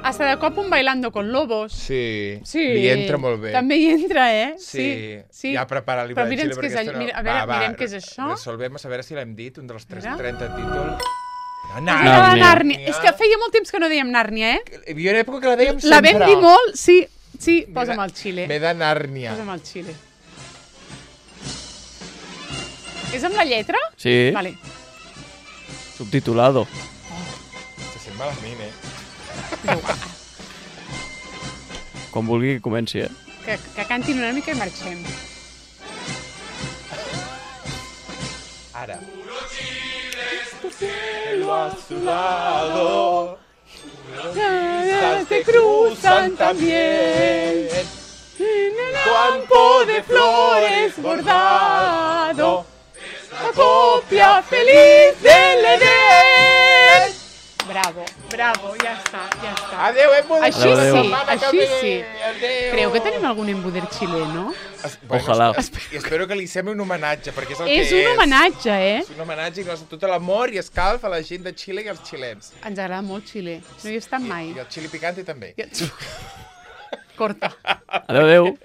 Hasta de cop un Bailando con Lobos. Sí, Sí. li entra molt bé. També hi entra, eh? Sí. Ja prepara el Però llibre mira'ns de què xile és perquè allò. esto no... Mira, a veure, mirem què és això. Resolvem, a veure si l'hem dit, un dels Mira. 30 títols. La Nàrnia. Nàrnia. És que feia molt temps que no dèiem Nàrnia, eh? Hi havia una època que la dèiem sempre. La vam dir molt, sí. Sí, posa'm el xile. M'he de Nàrnia. Posa'm el xile. És amb la lletra? Sí, Vale. subtitulado. Se sent malament, Com vulgui que comenci, eh? Que cantin una mica i marxem. Ara. Te cruzan también campo de flores bordado, la copia feliz del Edén. Bravo, bravo, ja està, ja està. Adéu, embuder. Així Adéu, sí, adéu. així sí. Adéu. Creu que tenim algun embuder xileno? Ojalà. I espero que li sembli un homenatge, perquè és el És que un homenatge, eh? És un homenatge i tot l'amor i escalf a la gent de Xile i als xilens. Ens agrada molt Xile. No hi he estat mai. I el xili picante també. Corta. Adéu, adéu.